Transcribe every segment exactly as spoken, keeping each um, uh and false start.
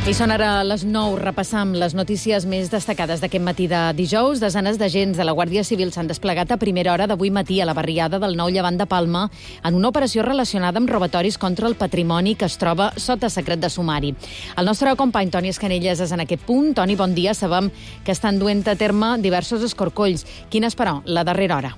I són ara les nou. Repassam les notícies més destacades d'aquest matí de dijous. Desenes d'agents de la Guàrdia Civil s'han desplegat a primera hora d'avui matí a la barriada del Nou Llevant de Palma en una operació relacionada amb robatoris contra el patrimoni que es troba sota secret de sumari. El nostre company Toni Escanelles és en aquest punt. Toni, bon dia. Sabem que estan duent a terme diversos escorcolls. Quina és, però, la darrera hora?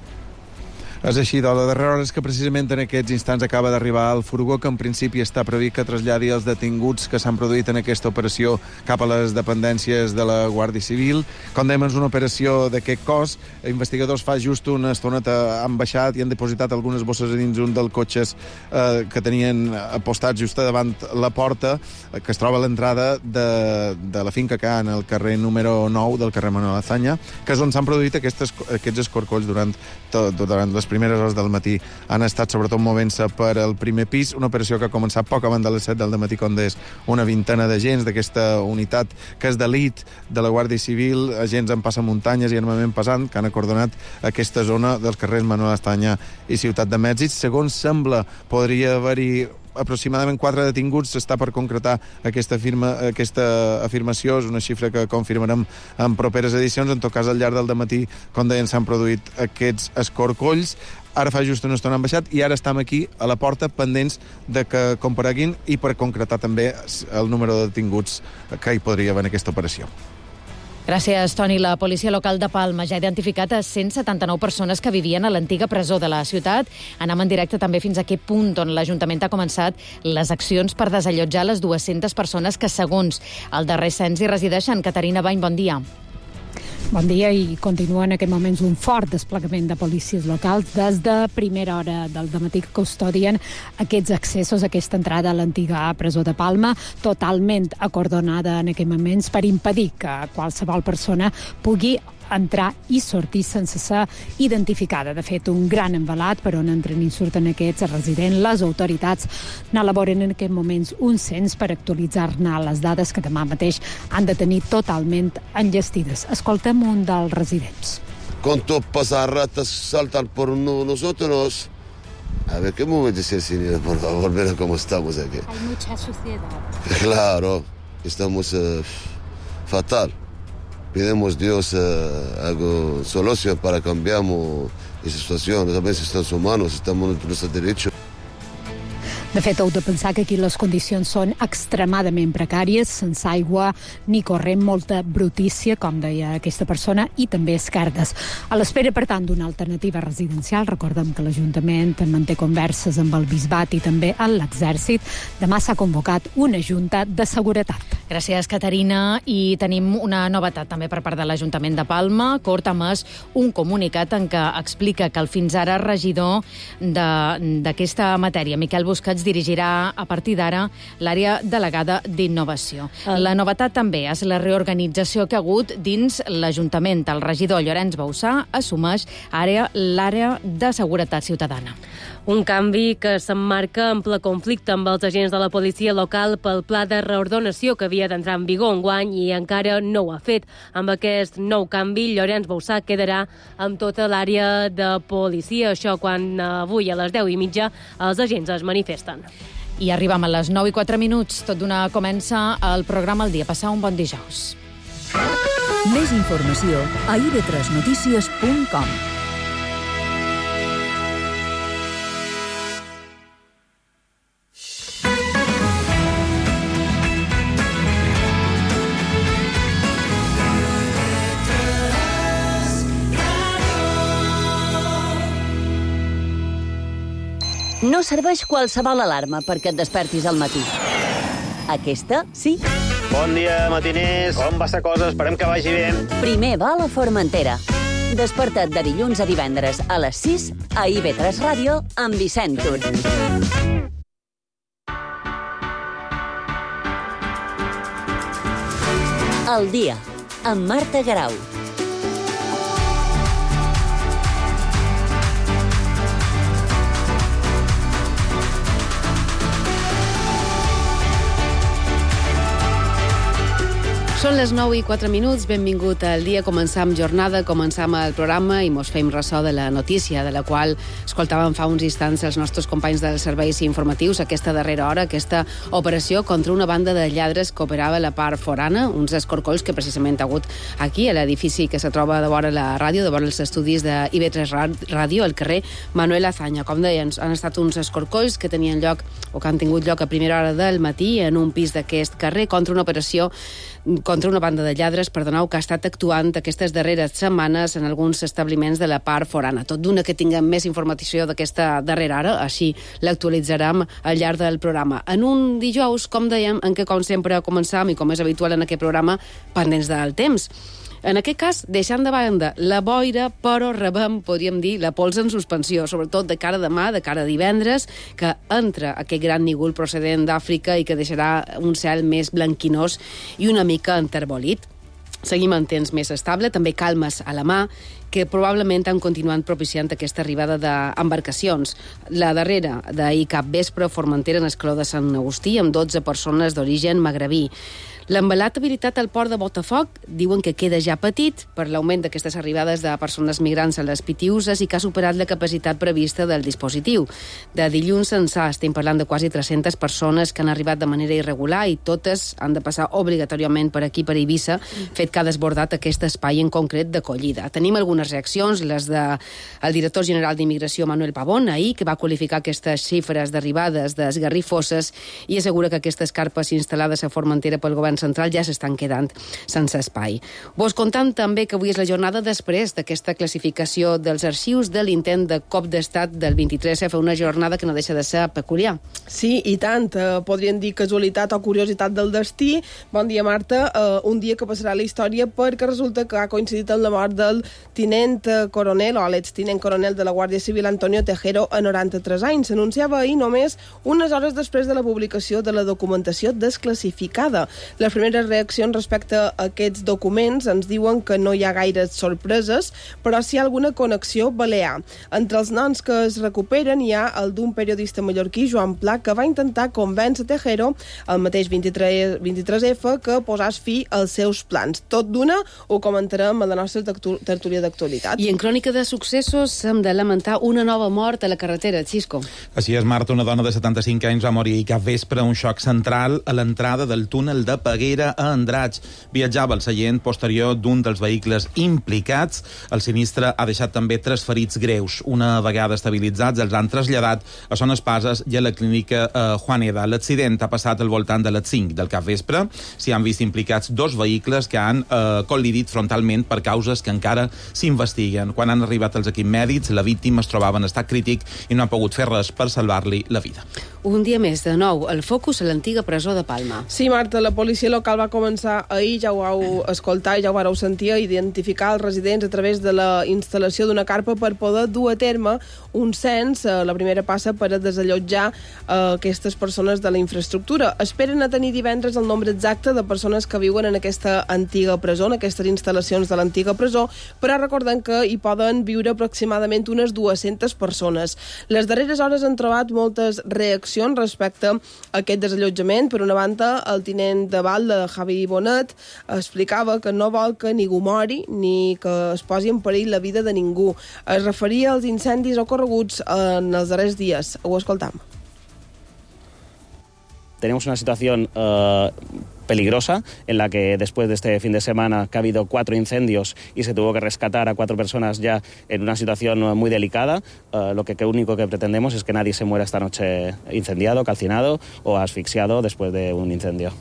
És així, de la darrera hora és que precisament en aquests instants acaba d'arribar el furgó que en principi està previst que traslladi els detinguts que s'han produït en aquesta operació cap a les dependències de la Guàrdia Civil. Com dèiem, és una operació d'aquest cos. Investigadors fa just una estoneta han baixat i han depositat algunes bosses a dins un dels cotxes eh, que tenien apostats just davant la porta, eh, que es troba a l'entrada de, de la finca que en el carrer número nou del carrer Manuel Azaña, que és on s'han produït aquestes, aquests escorcolls durant, tot, durant les primeres hores del matí. Han estat sobretot movent-se per al primer pis, una operació que ha començat poc abans de les set del matí, com deies, una vintena d'agents d'aquesta unitat que és d'elit de la Guàrdia Civil, agents en passamuntanyes i armament pesant, que han acordonat aquesta zona dels carrers Manuel Azaña i Ciutat de Mèxic. Segons sembla, podria haver-hi aproximadament quatre detinguts. S'està per concretar aquesta, firma, aquesta afirmació. És una xifra que confirmarem en properes edicions. En tot cas, al llarg del dematí, com deien, s'han produït aquests escorcolls. Ara fa just una estona han baixat i ara estem aquí a la porta pendents de que compareguin i per concretar també el número de detinguts que hi podria haver en aquesta operació. Gràcies, Toni. La policia local de Palma ja ha identificat a cent setanta-nou persones que vivien a l'antiga presó de la ciutat. Anem en directe també fins a aquest punt on l'Ajuntament ha començat les accions per desallotjar les dues-centes persones que, segons el darrer cens, hi resideixen. Caterina Bany, bon dia. Bon dia, i continua en aquest moments un fort desplegament de policies locals des de primera hora del dematí que custodien aquests accessos, aquesta entrada a l'antiga presó de Palma, totalment acordonada en aquests moments per impedir que qualsevol persona pugui entrar i sortir sense ser identificada. De fet, un gran envelat per on entren i surten aquests residents. Les autoritats n'elaboren en aquests moments un cens per actualitzar-ne les dades que demà mateix han de tenir totalment enllestides. Escoltem un dels residents. Cuando pasa ratas saltan por nosotros. A ver, ¿qué momento es el señor? Por favor, ver cómo estamos aquí. Hay mucha suciedad. Claro, estamos uh, fatal. Pedimos a Dios uh, algo solución para cambiar esa situación. A veces estamos humanos, estamos en nuestro derecho. De fet, heu de pensar que aquí les condicions són extremadament precàries, sense aigua ni corrent, molta brutícia, com deia aquesta persona, i també esquerdes. A l'espera, per tant, d'una alternativa residencial, recordem que l'Ajuntament manté converses amb el Bisbat i també amb l'Exèrcit. Demà s'ha convocat una junta de seguretat. Gràcies, Caterina. I tenim una novetat també per part de l'Ajuntament de Palma. Cort ha emès un comunicat en què explica que el fins ara regidor d'aquesta matèria, Miquel Busquets, dirigirà a partir d'ara l'àrea delegada d'innovació. La novetat també és la reorganització que ha hagut dins l'Ajuntament. El regidor Llorenç Bauçà assumeix àrea l'àrea de seguretat ciutadana. Un canvi que s'emmarca en ple conflicte amb els agents de la policia local pel pla de reordenació que havia d'entrar en vigor enguany i encara no ho ha fet. Amb aquest nou canvi, Llorenç Bauçà quedarà amb tota l'àrea de policia. Això quan avui a les deu i mitja els agents es manifesten. I arribem a les nou i quatre minuts. Tot d'una comença el programa El Dia. Passar un bon dijous. Més informació a i ve tres notícies punt com. No serveix qualsevol alarma perquè et despertis al matí. Aquesta, sí. Bon dia, matiners. Com va la cosa? Esperem que vagi bé. Primer va a la Formentera. Desperta't de dilluns a divendres a les sis a i ve tres Ràdio amb Vicent Tur. El dia, amb Marta Garau. Són les nou i quatre minuts, benvingut al dia. Començam jornada, començam el programa i mos fem ressò de la notícia, de la qual escoltàvem fa uns instants els nostres companys dels serveis informatius, aquesta darrera hora, aquesta operació contra una banda de lladres que operava a la part forana, uns escorcolls que precisament ha hagut aquí, a l'edifici que se troba de vora la ràdio, de vora els estudis de I B tres Ràdio, al carrer Manuel Azaña. Com deien, han estat uns escorcolls que tenien lloc, o que han tingut lloc a primera hora del matí en un pis d'aquest carrer contra una operació contra una banda de lladres, perdoneu, que ha estat actuant aquestes darreres setmanes en alguns establiments de la part forana. Tot d'una que tinguem més informació d'aquesta darrera hora, així l'actualitzarem al llarg del programa. En un dijous, com dèiem, en què, com sempre, començam, i com és habitual en aquest programa, pendents del temps. En aquest cas, deixant de banda la boira, però rebem, podríem dir, la pols en suspensió, sobretot de cara a demà, de cara a divendres, que entra aquest gran nígol procedent d'Àfrica i que deixarà un cel més blanquinós i una mica enterbolit. Seguim en temps més estable, també calmes a la mà, que probablement han continuat propiciant aquesta arribada d'embarcacions. La darrera d'ahir cap vespre, Formentera, en escaló de Sant Agustí, amb dotze persones d'origen magrebí. L'embalat habilitat al port de Botafoc diuen que queda ja petit per l'augment d'aquestes arribades de persones migrants a les Pitiuses i que ha superat la capacitat prevista del dispositiu. De dilluns ençà estem parlant de quasi tres-centes persones que han arribat de manera irregular i totes han de passar obligatòriament per aquí, per Eivissa, fet que ha desbordat aquest espai en concret d'acollida. Tenim algunes reaccions, les del de director general d'Immigració, Manuel Pavón, ahir, que va qualificar aquestes xifres d'arribades d'esgarrifoses i assegura que aquestes carpes instal·lades a Formentera pel govern central ja s'estan quedant sense espai. Vos contam també que avui és la jornada després d'aquesta classificació dels arxius de l'intent de cop d'estat del vint-i-tres F, una jornada que no deixa de ser peculiar. Sí, i tant. Eh, podríem dir casualitat o curiositat del destí. Bon dia, Marta. Eh, un dia que passarà a la història perquè resulta que ha coincidit amb la mort del tinent coronel o l'extinent coronel de la Guàrdia Civil, Antonio Tejero, a noranta-tres anys. S'anunciava ahir només unes hores després de la publicació de la documentació desclassificada. Les primeres reaccions respecte a aquests documents ens diuen que no hi ha gaires sorpreses, però sí hi ha alguna connexió balear. Entre els noms que es recuperen hi ha el d'un periodista mallorquí, Joan Pla, que va intentar convèncer Tejero, el mateix vint-i-tres F, que posàs fi als seus plans. Tot d'una ho comentarem a la nostra tertúlia d'actualitat. I en crònica de successos hem de lamentar una nova mort a la carretera, Xisco. Així és, Marta, una dona de setanta-cinc anys va morir cap vespre a un xoc central a l'entrada del túnel de Peguera a Andratx. Viatjava al seient posterior d'un dels vehicles implicats. El sinistre ha deixat també tres ferits greus. Una vegada estabilitzats, els han traslladat a Son Espases i a la clínica eh, Juaneda. L'accident ha passat al voltant de les cinc del capvespre. S'hi han vist implicats dos vehicles que han eh, col·lidit frontalment per causes que encara s'investiguen. Quan han arribat els equips mèdics, la víctima es trobava en estat crític i no ha pogut fer res per salvar-li la vida. Un dia més, de nou, el focus a l'antiga presó de Palma. Sí, Marta, la policia local va començar ahir, ja ho vau escoltar i ja ho vareu sentir, a identificar els residents a través de la instal·lació d'una carpa per poder dur a terme un cens, la primera passa per a desallotjar eh, aquestes persones de la infraestructura. Esperen a tenir divendres el nombre exacte de persones que viuen en aquesta antiga presó, en aquestes instal·lacions de l'antiga presó, però recordem que hi poden viure aproximadament unes dues-centes persones. Les darreres hores han trobat moltes reaccions respecte a aquest desallotjament. Per una banda, el tinent de Val de Javi Bonet explicava que no vol que ningú mori ni que es posi en perill la vida de ningú. Es referia als incendis ocorreguts en els darrers dies. Ho escoltam. Tenemos una situación uh, peligrosa en la que después de este fin de semana que ha habido cuatro incendios y se tuvo que rescatar a cuatro personas ya en una situación muy delicada, uh, lo que, que único que pretendemos es que nadie se muera esta noche incendiado, calcinado o asfixiado después de un incendio.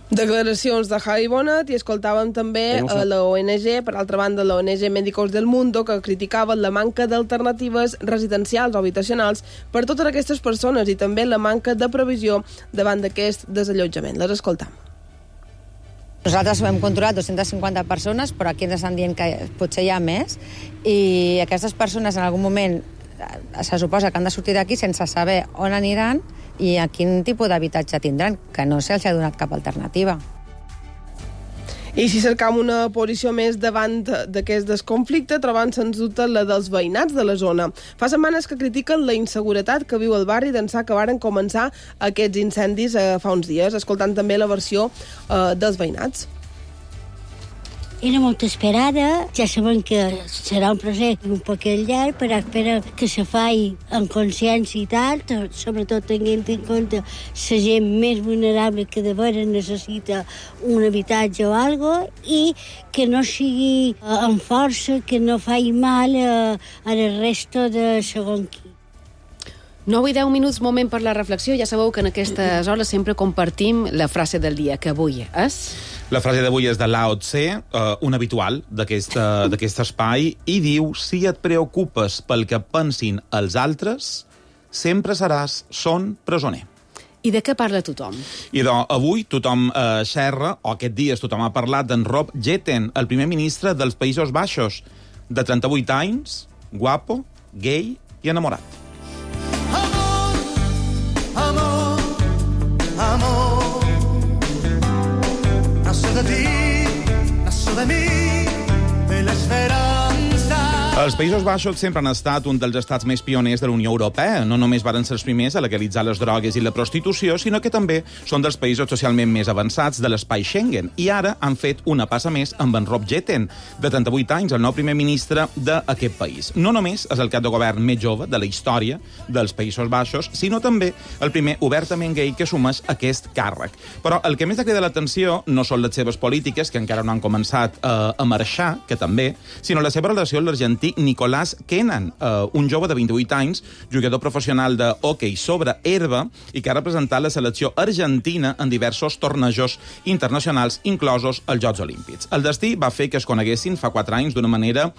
Declaracions de Javi Bonet i escoltàvem també a la O N G, per altra banda la O N G Médicos del Mundo, que criticaven la manca d'alternatives residencials o habitacionals per totes aquestes persones i també la manca de previsió davant d'aquest desallotjament. Les escoltam. Nosaltres hem controlat dues-centes cinquanta persones, però aquí ens estan dient que potser hi ha més, i aquestes persones en algun moment se suposa que han de sortir d'aquí sense saber on aniran i a quin tipus d'habitatge tindran, que no se'ls ha donat cap alternativa. I si cercam una posició més davant d'aquest desconflicte, trobant sens dubte la dels veïnats de la zona. Fa setmanes que critiquen la inseguretat que viu el barri d'ençà que varen començar aquests incendis eh, fa uns dies, escoltant també la versió eh, dels veïnats. Era molt esperada, ja sabem que serà un procés un poquet llarg, però espero que se faci en consciència i tal, sobretot tenint en compte la gent més vulnerable que de veres necessita un habitatge o algo, i que no sigui amb força, que no faci mal a, a la resta de segon qui. nou i deu minuts, moment per la reflexió. Ja sabeu que en aquestes hores sempre compartim la frase del dia, que avui és... La frase d'avui és de Lao Tse, uh, un habitual d'aquest espai, i diu: si et preocupes pel que pensin els altres, sempre seràs son presoner. I de què parla tothom? I doncs, avui tothom eh, xerra, o aquest dies tothom ha parlat d'en Rob Jetten, el primer ministre dels Països Baixos, de trenta-vuit anys, guapo, gay i enamorat. Amor, amor, amor. Nació de ti, nació de mi, de la esperanza. Els Països Baixos sempre han estat un dels estats més pioners de la Unió Europea. No només varen ser els primers a legalitzar les drogues i la prostitució, sinó que també són dels països socialment més avançats de l'espai Schengen. I ara han fet una passa més amb en Rob Jetten, de trenta-vuit anys, el nou primer ministre d'aquest país. No només és el cap de govern més jove de la història dels Països Baixos, sinó també el primer obertament gay que assumeix aquest càrrec. Però el que més ha cridat l'atenció no són les seves polítiques, que encara no han començat eh, a marxar, que també, sinó la seva relació amb l'argentí Nicolás Kenan, uh, un jove de vint-i-vuit anys, jugador professional de hoquei sobre herba i que ha representat la selecció argentina en diversos tornejos internacionals, inclosos els Jocs Olímpics. El destí va fer que es coneguessin fa quatre anys d'una manera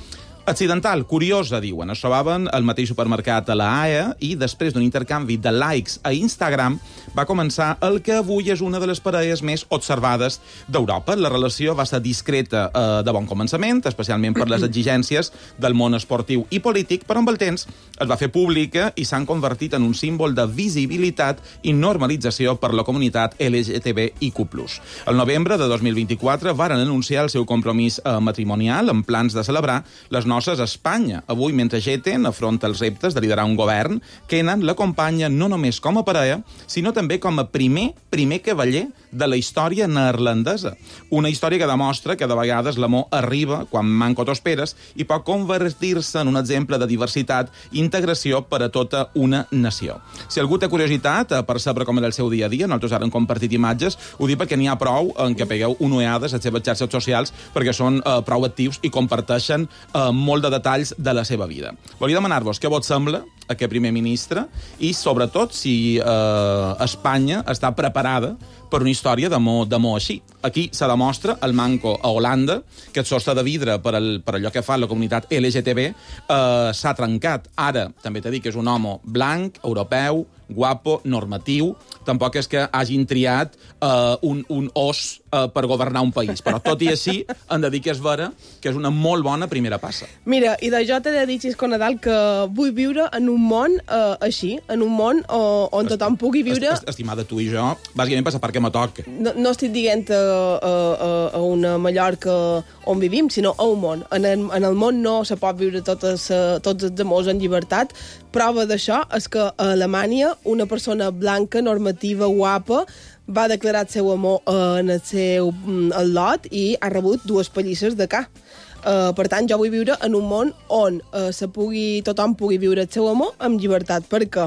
accidental, curiosa, diuen. Es trobaven al mateix supermercat a la Haia i després d'un intercanvi de likes a Instagram va començar el que avui és una de les parelles més observades d'Europa. La relació va ser discreta eh, de bon començament, especialment per les exigències del món esportiu i polític, però amb el temps es va fer pública i s'han convertit en un símbol de visibilitat i normalització per la comunitat L G T B I Q plus. El novembre de dos mil vint-i-quatre varen anunciar el seu compromís eh, matrimonial amb plans de celebrar les noces a Espanya. Avui, mentre Jetten afronta els reptes de liderar un govern, Kenan l'acompanya no només com a parella, sinó també com a primer, primer cavaller de la història neerlandesa. Una història que demostra que de vegades l'amor arriba quan manco t'ho esperes i pot convertir-se en un exemple de diversitat i integració per a tota una nació. Si algú té curiositat per saber com era el seu dia a dia, nosaltres ara hem compartit imatges, ho dic perquè n'hi ha prou en què pegueu una ullada a les seves xarxes socials perquè són eh, prou actius i comparteixen eh, molt de detalls de la seva vida. Volia demanar-vos què vos sembla aquest primer ministre i, sobretot, si eh, Espanya està preparada per una història d'amor així. Aquí se demostra el manco a Holanda, que el sostre de vidre per, el, per allò que fa la comunitat L G T B eh, s'ha trencat. Ara, també t'he dit que és un home blanc, europeu, guapo, normatiu. Tampoc és que hagin triat eh, un, un os eh, per governar un país. Però tot i així, hem de dir que és vera que és una molt bona primera passa. Mira, i de jo t'he de dir, Xisco Nadal, que vull viure en un món eh, així, en un món on, on tothom pugui viure... Est, estimada, tu i jo, bàsicament passa perquè me toca. No, no estic dient a, a, a una Mallorca on vivim, sinó a un món. En el, en el món no se pot viure totes, tots els amors en llibertat. Prova d'això és que a Alemanya una persona blanca, normativa, guapa, va declarar el seu amor en el seu el lot i ha rebut dues pallisses de ca. Uh, per tant, jo vull viure en un món on uh, se pugui, tothom pugui viure el seu amor amb llibertat, perquè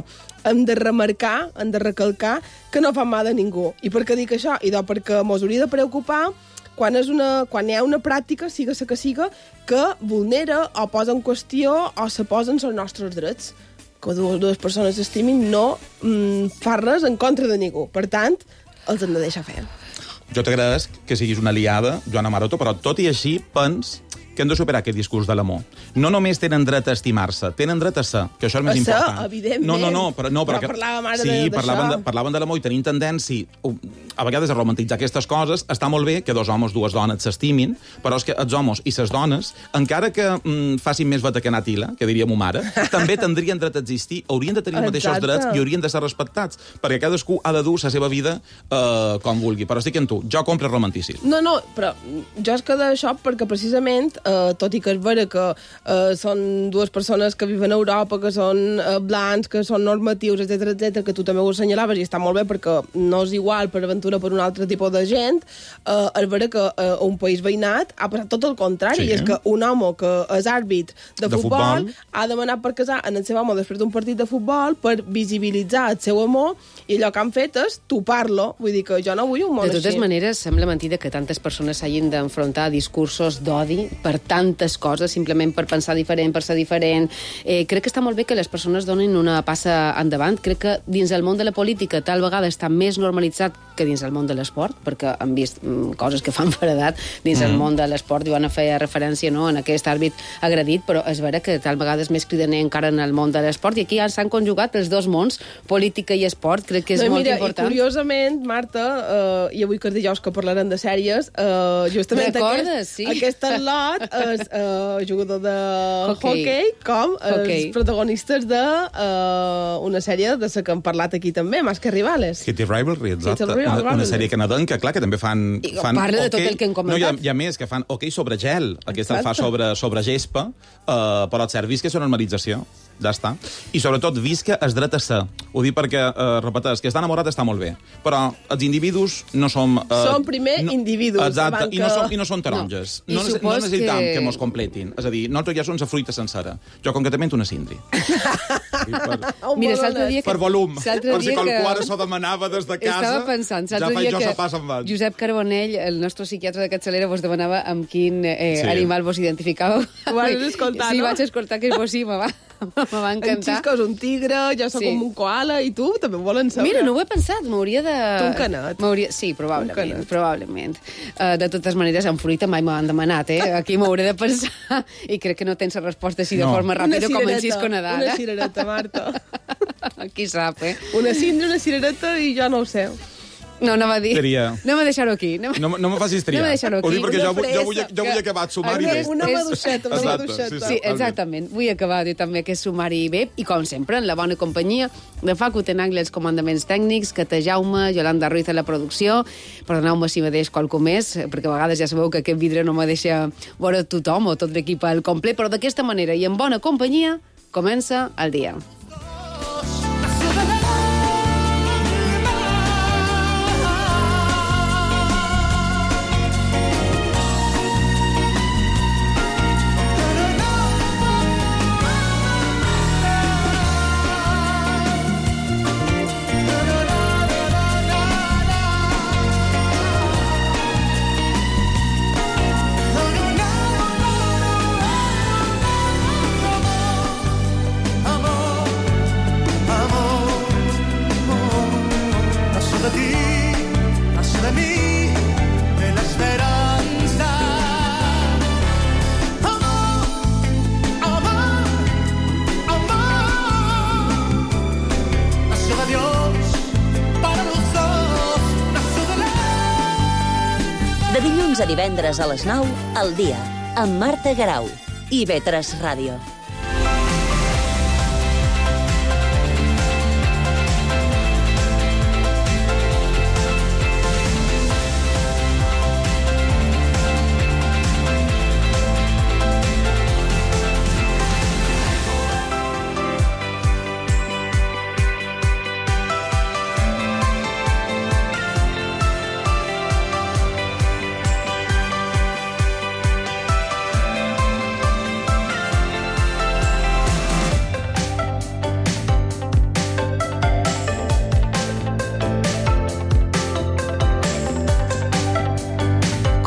hem de remarcar, hem de recalcar que no fa mal a ningú. I per què dic això? I doncs perquè mos hauria de preocupar quan, és una, quan hi ha una pràctica, siga la que siga, que vulnera o posa en qüestió o se posen els nostres drets. Que dues, dues persones s'estimin no mm, fa res en contra de ningú. Per tant, els hem de deixar fer. Jo t'agrades que siguis una aliada, Joana Maroto, però tot i així pens que hem de superar aquest discurs de l'amor. No només tenen dret a estimar-se, tenen dret a ser, que això és el més a important. Ser, evidentment. No, no, no, però, no, però però parlàvem ara sí, d'això. parlaven de, parlaven de l'amor i tenim tendència a vegades a romantitzar aquestes coses està molt bé que dos homes, dues dones s'estimin, però és que els homes i les dones, encara que mm, facin més veta que Natila, que diria mo mare, també tindrien dret a existir, haurien de tenir els mateixos drets i haurien de ser respectats, perquè cadascú ha de dur la seva vida eh, com vulgui. Però estic amb tu, jo compro romanticisme. No, no, però jo es quedo això perquè precisament, eh, tot i que és vera que eh, són dues persones que viven a Europa, que són eh, blancs, que són normatius, etcètera, etcètera, que tu també ho assenyalaves i està molt bé perquè no és igual per aventura per un altre tipus de gent, eh, és vera que eh, un país veïnat ha passat tot el contrari, sí. I és que un home que és àrbit de, de futbol, futbol ha demanat per casar en el seu home després d'un partit de futbol per visibilitzar el seu amor i allò que han fet és topar-lo. Vull dir que jo no vull un món així. De totes així. maneres, sembla mentida que tantes persones s'hagin d'enfrontar a discursos d'odi per tantes coses, simplement per pensar diferent, per ser diferent. Eh, crec que està molt bé que les persones donin una passa endavant. Crec que dins el món de la política tal vegada està més normalitzat que dins el món de l'esport, perquè han vist mm, coses que fan feredat dins mm. el món de l'esport. Joana feia referència, no?, en aquest àrbit agredit, però és vera que tal vegada és més cridaner encara en el món de l'esport, i aquí ja s'han conjugat els dos mons, política i esport. Crec que és no, molt mira, important. I curiosament, Marta, uh, i avui que és dijous que parlarem de sèries, uh, justament Recordes, aquest, sí. aquest lot és uh, jugador de hockey, hockey com hockey. els protagonistes de uh, una sèrie de la que hem parlat aquí també, Más que Rivales. Hitty Rivalry, exacte. Hitty Rivalry. Una, una sèrie canadenca, clar, que també fan... I fan parla de tot hoquei. el que hem comentat. No, hi ha, hi ha més, que fan hoquei sobre gel. Aquesta el fa sobre, sobre gespa, uh, però el cert, vist que és una normalització. Ja està. I sobretot, vist que es dret a ser. Ho dic perquè, eh, repeteix, que estar enamorat està molt bé, però els individus no som... Eh, som primer no, individus. Exacte, que... i no som, i no som taronges. No, no, no necessitam que... que mos completin. És a dir, nosaltres ja som la fruita sencera. Jo concretament una cindri. per, Mira, l'altre dia que... per volum. Per si qualcue s'ho demanava des de casa, estava pensant, ja faig jo que se passa en van. Josep Carbonell, el nostre psiquiatre de Capçalera, vos demanava amb quin eh, sí. animal vos identificàveu. Ho vas escoltar, sí, no? Sí, vaig escoltar que vos sí, me va, me va encantar. En Xisco és un tigre, jo sóc sí. com un koala, i tu també ho volen saber. Mira, no ho he pensat, m'hauria de... Tu un canet. Sí, probablement, probablement. Uh, de totes maneres, en fruita mai m'han demanat, eh? Aquí m'hauré de pensar, i crec que no tens la resposta així no. de forma ràpida com en Xisco Nadal. Una cirereta, Marta. Qui sap, eh? Una cindra, una cirereta, i jo no ho sé. No, no va dir. Tria. No me deixar-ho aquí. No, no, no me facis triar. No me deixar-ho aquí. Ho dic perquè jo, jo, vull, jo vull acabar el sumari bé. Una maduixeta, una maduixeta. Sí, sí, exactament. Vull acabar jo també aquest sumari bé, i com sempre, en la bona companyia de Facu Tenagli, els comandaments tècnics, Cata Jaume, Yolanda Ruiz a la producció. Perdoneu-me si me deix qualcú més, perquè a vegades ja sabeu que aquest vidre no me deixa veure tothom o tot l'equip al complet, però d'aquesta manera i en bona companyia comença el dia. De dilluns a divendres a les nou, al dia, amb Marta Garau i I V tres Ràdio.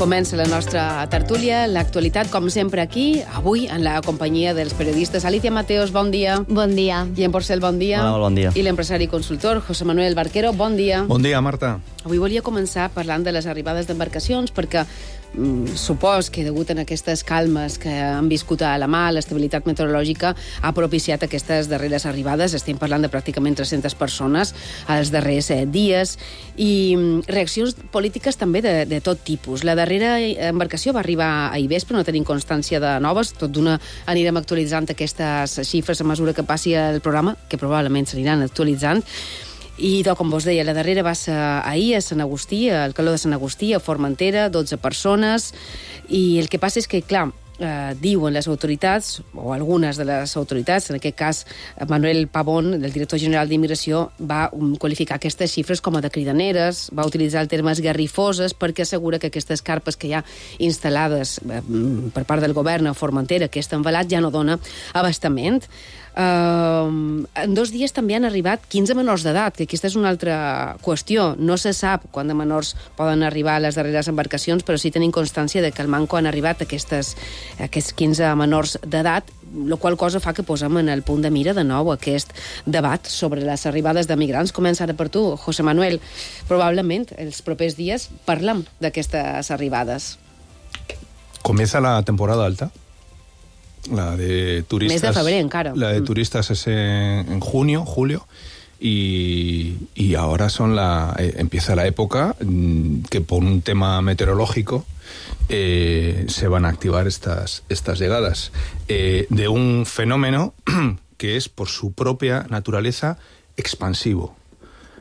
Comença la nostra tertúlia, l'actualitat, com sempre, aquí, avui, en la companyia dels periodistes. Alicia Mateos, bon dia. Bon dia. Guillem Porcel, bon dia. Hola, bon dia. I l'empresari i consultor, José Manuel Barquero, bon dia. Bon dia, Marta. Avui volia començar parlant de les arribades d'embarcacions perquè mm, supos que degut a aquestes calmes que han viscut a la mar, l'estabilitat meteorològica ha propiciat aquestes darreres arribades. Estem parlant de pràcticament tres-centes persones els darrers eh, dies i mm, reaccions polítiques també de, de tot tipus. La darrera embarcació va arribar ahir vespre, no tenim constància de noves, tot d'una anirem actualitzant aquestes xifres a mesura que passi el programa, que probablement s'aniran actualitzant. I, com vos deia, la darrera va ser ahir a Sant Agustí, al Caló de Sant Agustí, a Formentera, dotze persones, i el que passa és que, clar, eh, diuen les autoritats, o algunes de les autoritats, en aquest cas Manuel Pavón, el director general d'Immigració, va um, qualificar aquestes xifres com a de cridaneres, va utilitzar el terme esgarrifoses perquè assegura que aquestes carpes que hi ha instal·lades eh, per part del govern a Formentera, aquest envelat, ja no dona abastament. Uh, en dos dies també han arribat quinze menors d'edat, que aquesta és una altra qüestió. No se sap quan de menors poden arribar a les darreres embarcacions, però sí tenim constància de que al Manco han arribat aquestes, aquests quinze menors d'edat, la qual cosa fa que posem en el punt de mira de nou aquest debat sobre les arribades de migrants. Comença ara per tu, José Manuel. Probablement els propers dies parlem d'aquestes arribades. Comienza la temporada alta. La de turistas. Mes de febrero, encara. La de turistas es en, en junio, julio, y, y ahora son la eh, empieza la época que por un tema meteorológico eh, se van a activar estas, estas llegadas eh, de un fenómeno que es por su propia naturaleza expansivo.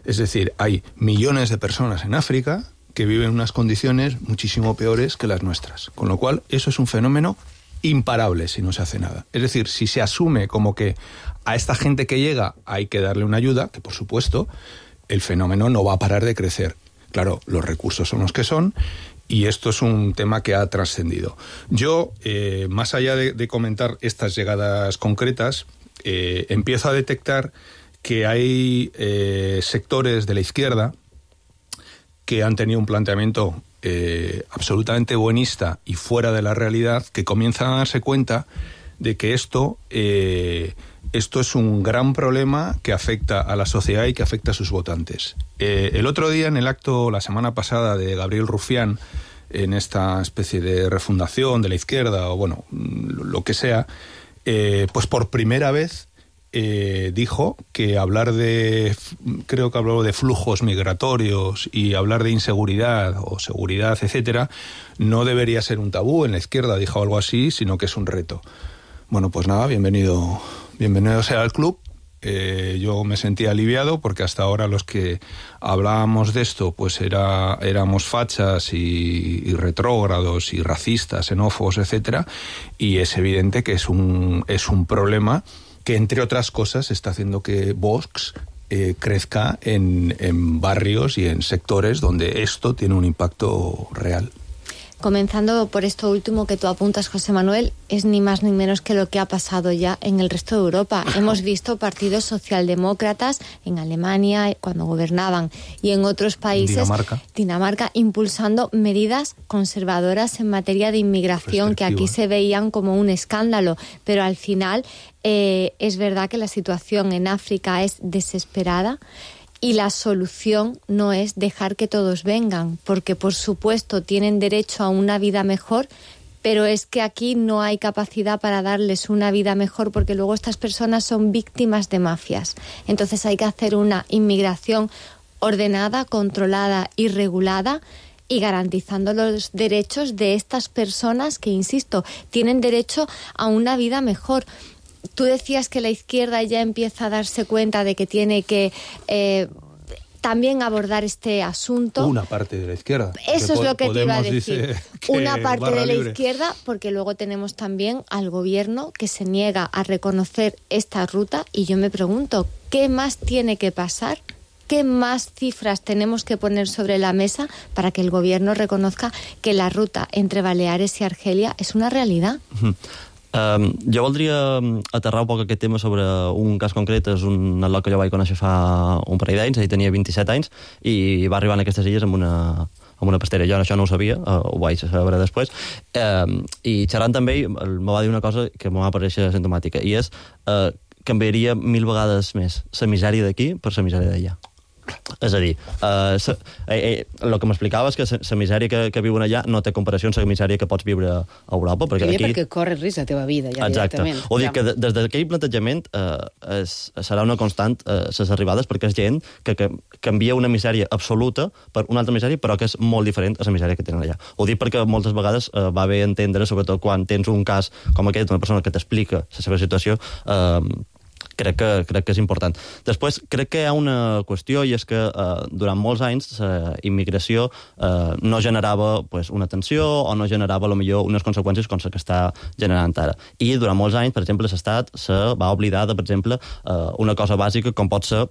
Es decir, hay millones de personas en África que viven en unas condiciones muchísimo peores que las nuestras, con lo cual eso es un fenómeno imparable si no se hace nada. Es decir, si se asume como que a esta gente que llega hay que darle una ayuda, que por supuesto, el fenómeno no va a parar de crecer. Claro, los recursos son los que son y esto es un tema que ha trascendido. Yo, eh, más allá de, de comentar estas llegadas concretas, eh, empiezo a detectar que hay eh, sectores de la izquierda que han tenido un planteamiento Eh, absolutamente buenista y fuera de la realidad, que comienzan a darse cuenta de que esto, eh, esto es un gran problema que afecta a la sociedad y que afecta a sus votantes. Eh, el otro día, en el acto, la semana pasada, de Gabriel Rufián, en esta especie de refundación de la izquierda, o bueno, lo que sea, eh, pues por primera vez Eh, dijo que hablar de, creo que habló de flujos migratorios y hablar de inseguridad o seguridad, etcétera, no debería ser un tabú en la izquierda, dijo algo así, sino que es un reto. Bueno, pues nada, bienvenido, bienvenido sea al club. Eh, yo me sentía aliviado porque hasta ahora los que hablábamos de esto pues era, éramos fachas y, y retrógrados y racistas, xenófobos, etcétera, y es evidente que es un, es un problema que, entre otras cosas, está haciendo que Vox eh, crezca en, en barrios y en sectores donde esto tiene un impacto real. Comenzando por esto último que tú apuntas, José Manuel, es ni más ni menos que lo que ha pasado ya en el resto de Europa. Hemos visto partidos socialdemócratas en Alemania, cuando gobernaban, y en otros países, Dinamarca, Dinamarca impulsando medidas conservadoras en materia de inmigración que aquí se veían como un escándalo, pero al final eh, es verdad que la situación en África es desesperada. Y la solución no es dejar que todos vengan, porque por supuesto tienen derecho a una vida mejor, pero es que aquí no hay capacidad para darles una vida mejor, porque luego estas personas son víctimas de mafias. Entonces hay que hacer una inmigración ordenada, controlada y regulada, y garantizando los derechos de estas personas que, insisto, tienen derecho a una vida mejor. Tú decías que la izquierda ya empieza a darse cuenta de que tiene que eh, también abordar este asunto. Una parte de la izquierda. Eso es lo que te iba a decir. Una parte de la libre. izquierda, porque luego tenemos también al gobierno que se niega a reconocer esta ruta, y yo me pregunto, ¿qué más tiene que pasar? ¿Qué más cifras tenemos que poner sobre la mesa para que el gobierno reconozca que la ruta entre Baleares y Argelia es una realidad? Uh-huh. Um, jo voldria aterrar un poc aquest tema sobre un cas concret. És un atlot que jo vaig conèixer fa un parell d'anys, ell tenia vint-i-set anys i va arribar a aquestes illes amb una, amb una pastera. Jo això no ho sabia, uh, ho vaig saber després, uh, i xerrant amb ell em va dir una cosa que em va aparèixer simptomàtica, i és uh, canviaria mil vegades més la misèria d'aquí per la misèria d'allà. És a dir, eh, sa, eh, eh, el que m'explicava és que la misèria que, que viuen allà no té comparació amb la misèria que pots viure a Europa. Perquè, aquí... aquí... perquè corres risc la teva vida, ja Exacte. directament. O dir que de, des d'aquell plantejament eh, es, serà una constant eh, les arribades, perquè és gent que, que canvia una misèria absoluta per una altra misèria, però que és molt diferent a la misèria que tenen allà. Ho dic perquè moltes vegades eh, va bé entendre, sobretot quan tens un cas com aquest, una persona que t'explica la seva situació, eh, crec que, crec que és important. Després, crec que hi ha una qüestió, i és que eh, durant molts anys la immigració eh, no generava pues, una tensió o no generava, a lo millor, unes conseqüències com les que està generant ara. I durant molts anys, per exemple, l'Estat se va oblidar de, per exemple, eh, una cosa bàsica com pot ser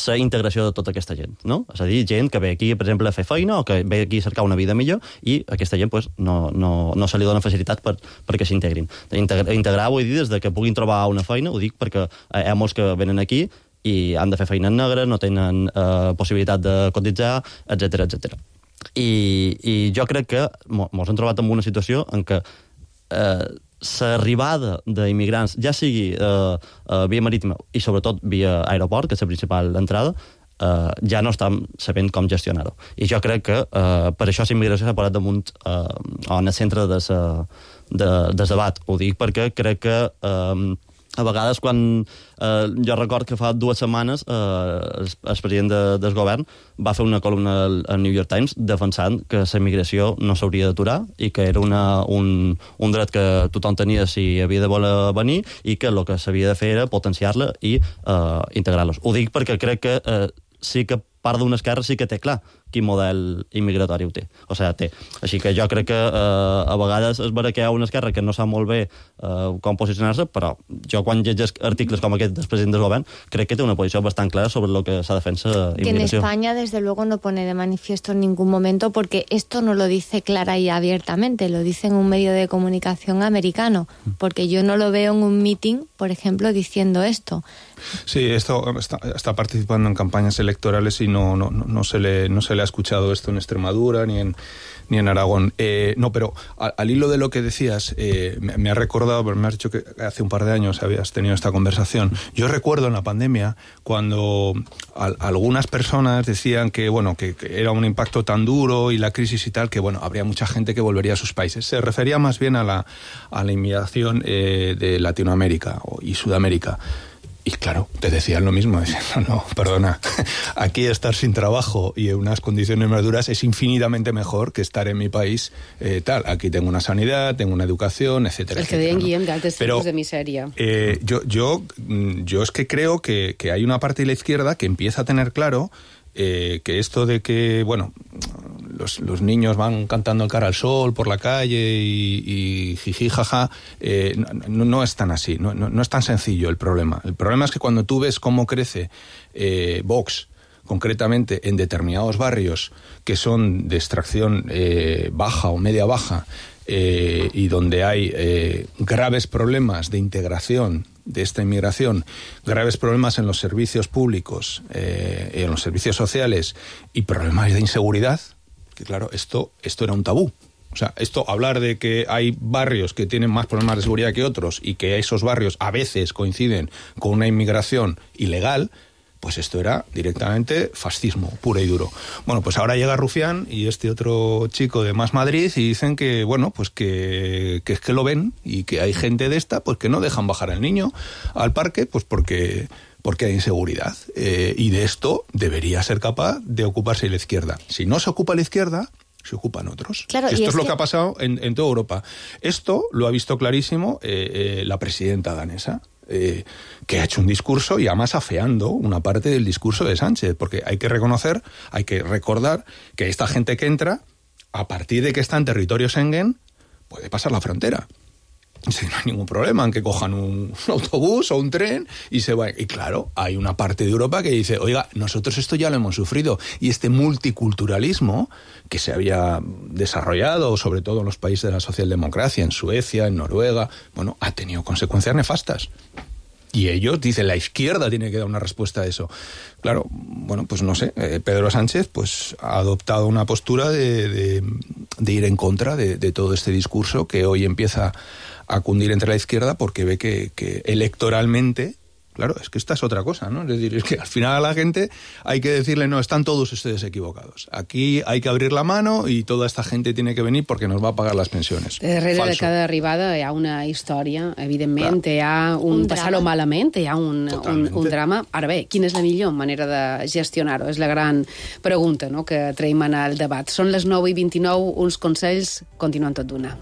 la integració de tota aquesta gent, no? És a dir, gent que ve aquí, per exemple, a fer feina o que ve aquí a cercar una vida millor i aquesta gent pues, no, no, no se li dona facilitat per, perquè s'integrin. Integrar, integrar, vull dir, des de que puguin trobar una feina, ho dic perquè hi ha molts que venen aquí i han de fer feina en negre, no tenen eh, possibilitat de cotitzar, etcètera, etcètera. I, I jo crec que ens hem trobat en una situació en què eh, l'arribada d'immigrants, ja sigui eh, eh, via marítima i sobretot via aeroport, que és la principal entrada, eh, ja no estem sabent com gestionar-ho. I jo crec que eh, per això la immigració s'ha posat damunt eh, en el centre de sa, de, del debat. Ho dic perquè crec que eh, a vegades quan eh, jo record que fa dues setmanes eh, el, el president de, del govern va fer una columna al, al New York Times defensant que la immigració no s'hauria d'aturar i que era una, un, un dret que tothom tenia si havia de voler venir i que el que s'havia de fer era potenciar-la i eh, integrar-los. Ho dic perquè crec que eh, sí que part d'una esquerra sí que té clar quin model immigratori ho té. O sigui, té. Així que jo crec que eh, a vegades és vera que hi ha una esquerra que no sap molt bé eh, com posicionar-se, però jo quan llegeix articles com aquest del president del govern crec que té una posició bastant clara sobre lo que s'ha de fer la que immigració. En España, desde luego, no pone de manifiesto en ningún momento porque esto no lo dice clara y abiertamente, lo dice en un medio de comunicación americano, porque yo no lo veo en un meeting, por ejemplo, diciendo esto. Sí, esto está, está participando en campañas electorales y no, no, no, se le, no se le ha escuchado esto en Extremadura ni en, ni en Aragón. Eh, no, pero al, al hilo de lo que decías, eh, me, me ha recordado, me has dicho que hace un par de años habías tenido esta conversación. Yo recuerdo en la pandemia cuando al, algunas personas decían que, bueno, que, que era un impacto tan duro y la crisis y tal, que, bueno, habría mucha gente que volvería a sus países. Se refería más bien a la, a la inmigración eh, de Latinoamérica y Sudamérica. Y claro, te decían lo mismo, decían, no, no, perdona, aquí estar sin trabajo y en unas condiciones más duras es infinitamente mejor que estar en mi país eh, tal. Aquí tengo una sanidad, tengo una educación, etcétera. El que deien, ¿no? Guillem, d'altres tipus de misèria. Eh, yo, yo, yo es que creo que, que hay una parte de la izquierda que empieza a tener claro eh, que esto de que, bueno, los, los niños van cantando el cara al sol por la calle y, y jiji, jaja, eh, no, no es tan así, no, no, no es tan sencillo el problema. El problema es que cuando tú ves cómo crece eh, Vox, concretamente en determinados barrios que son de extracción eh, baja o media baja, eh, y donde hay eh, graves problemas de integración de esta inmigración, graves problemas en los servicios públicos, eh, en los servicios sociales y problemas de inseguridad, que claro, esto, esto era un tabú. O sea, esto, hablar de que hay barrios que tienen más problemas de seguridad que otros y que esos barrios a veces coinciden con una inmigración ilegal, pues esto era directamente fascismo, puro y duro. Bueno, pues ahora llega Rufián y este otro chico de Más Madrid y dicen que, bueno, pues que, que es que lo ven y que hay gente de esta, pues que no dejan bajar al niño al parque, pues porque... porque hay inseguridad. Eh, y de esto debería ser capaz de ocuparse la izquierda. Si no se ocupa la izquierda, se ocupan otros. Claro, esto es, es lo que... que ha pasado en, en toda Europa. Esto lo ha visto clarísimo eh, eh, la presidenta danesa, eh, que ha hecho un discurso y además afeando una parte del discurso de Sánchez, porque hay que reconocer, hay que recordar que esta gente que entra, a partir de que está en territorio Schengen, puede pasar la frontera. Sí, no hay ningún problema en que cojan un, un autobús o un tren y se vayan. Y claro, hay una parte de Europa que dice, oiga, nosotros esto ya lo hemos sufrido. Y este multiculturalismo que se había desarrollado, sobre todo en los países de la socialdemocracia, en Suecia, en Noruega, bueno, ha tenido consecuencias nefastas. Y ellos dicen, la izquierda tiene que dar una respuesta a eso. Claro, bueno, pues no sé, eh, Pedro Sánchez pues ha adoptado una postura de, de, de ir en contra de, de todo este discurso que hoy empieza a cundir entre la izquierda porque ve que, que electoralmente Claro, es que esta es otra cosa, ¿no? Es decir, es que al final a la gente hay que decirle, no, están todos ustedes equivocados. Aquí hay que abrir la mano y toda esta gente tiene que venir porque nos va a pagar las pensiones. Darrere Falso. de cada arribada hi ha una història, evidentment, Clar. hi ha un, un passar-ho malament, hi ha un, un, un drama. Ara bé, quina és la millor manera de gestionar-ho? És la gran pregunta, no?, que traiem en el debat. Són les nou i vint-i-nou, uns consells, continuen tot d'una.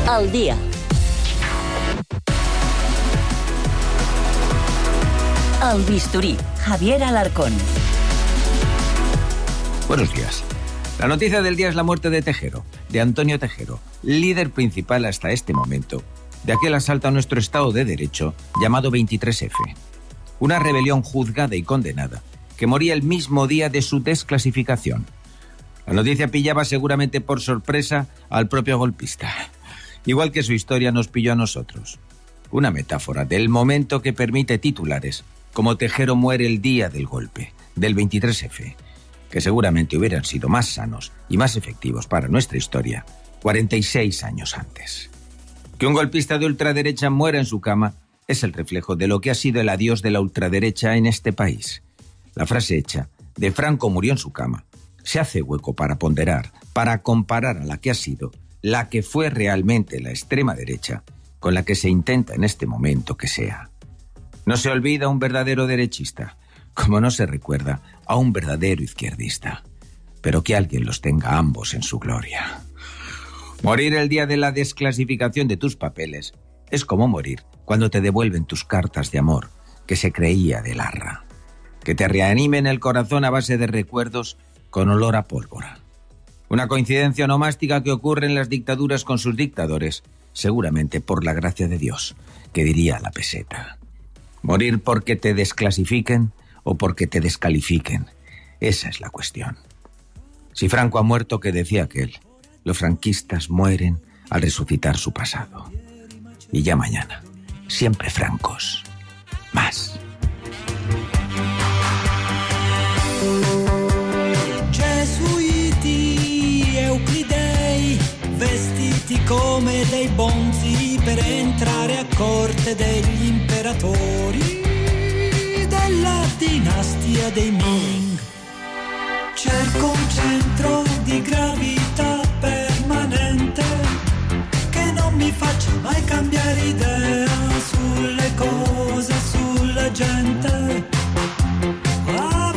Al día. Al bisturí, Javier Alarcón. Buenos días. La noticia del día es la muerte de Tejero, de Antonio Tejero, líder principal hasta este momento de aquel asalto a nuestro Estado de Derecho llamado veintitrés efe. Una rebelión juzgada y condenada que moría el mismo día de su desclasificación. La noticia pillaba seguramente por sorpresa al propio golpista. Igual que su historia nos pilló a nosotros. Una metáfora del momento que permite titulares como Tejero muere el día del golpe, del veintitrés efe, que seguramente hubieran sido más sanos y más efectivos para nuestra historia cuarenta y seis años antes. Que un golpista de ultraderecha muera en su cama es el reflejo de lo que ha sido el adiós de la ultraderecha en este país. La frase hecha de Franco murió en su cama se hace hueco para ponderar, para comparar a la que ha sido la que fue realmente la extrema derecha, con la que se intenta en este momento que sea. No se olvida a un verdadero derechista, como no se recuerda a un verdadero izquierdista, pero que alguien los tenga ambos en su gloria. Morir el día de la desclasificación de tus papeles es como morir cuando te devuelven tus cartas de amor, que se creía de Larra, que te reanimen el corazón a base de recuerdos con olor a pólvora. Una coincidencia onomástica que ocurre en las dictaduras con sus dictadores, seguramente por la gracia de Dios, que diría la peseta. Morir porque te desclasifiquen o porque te descalifiquen, esa es la cuestión. Si Franco ha muerto, que decía aquel, los franquistas mueren al resucitar su pasado. Y ya mañana, siempre francos, más. Euclidei, vestiti come dei bonzi per entrare a corte degli imperatori della dinastia dei Ming. Cerco un centro di gravità permanente che non mi faccia mai cambiare idea sulle cose, sulla gente.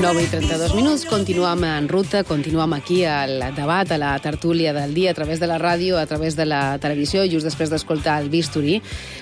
nou i trenta-dos minuts, continuem en ruta, continuem aquí al debat, a la tertúlia del dia, a través de la ràdio, a través de la televisió, just després d'escoltar el bisturí.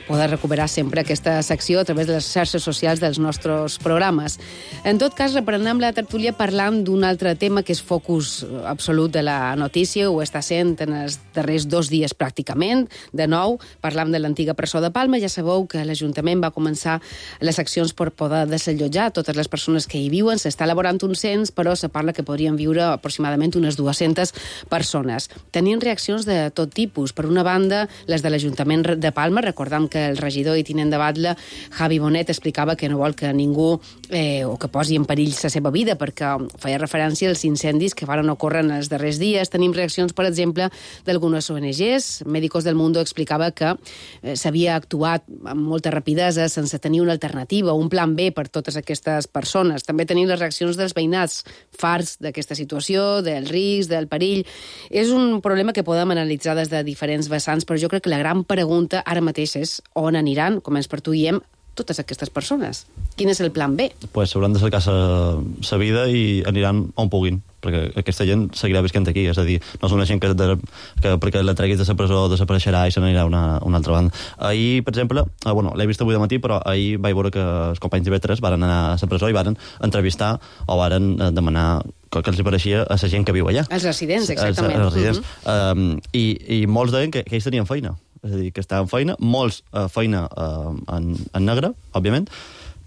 Podeu recuperar sempre aquesta secció a través de les xarxes socials dels nostres programes. En tot cas, reprenem la tertúlia parlant d'un altre tema que és focus absolut de la notícia, ho està sent en els darrers dos dies pràcticament. De nou, parlam de l'antiga presó de Palma. Ja sabeu que l'Ajuntament va començar les accions per poder desallotjar totes les persones que hi viuen. S'està elaborant un cens, però se parla que podrien viure aproximadament unes dues-centes persones. Tenint reaccions de tot tipus. Per una banda, les de l'Ajuntament de Palma. Recordam que el regidor i tinent de Batlle, Javi Bonet, explicava que no vol que ningú eh, o que posi en perill la seva vida, perquè feia referència als incendis que van ocórrer en els darrers dies. Tenim reaccions, per exemple, d'algunes O N Ges. Médicos del Mundo explicava que eh, s'havia actuat amb molta rapidesa sense tenir una alternativa, un plan B per totes aquestes persones. També tenim les reaccions dels veïnats farts d'aquesta situació, del risc, del perill. És un problema que podem analitzar des de diferents vessants, però jo crec que la gran pregunta ara mateix és on aniran, com ens pertuïem, totes aquestes persones. Quin és el plan B? Pues hauran de cercar sa vida i aniran on puguin, perquè aquesta gent seguirà visquent aquí, és a dir, no és una gent que, de, que perquè la treguis de la presó desapareixerà i se n'anirà a una, una altra banda. Ahir, per exemple, eh, bueno, l'he vist avui de matí, però ahir vaig veure que els companys d'I V tres van anar a la presó i van entrevistar o van demanar que, que els pareixia a la gent que viu allà. Els residents, exactament. Els, els residents. Uh-huh. um, i, I molts deien que, que ells tenien feina. És a dir, que estaven feina, molts uh, feina uh, en, en negre, òbviament,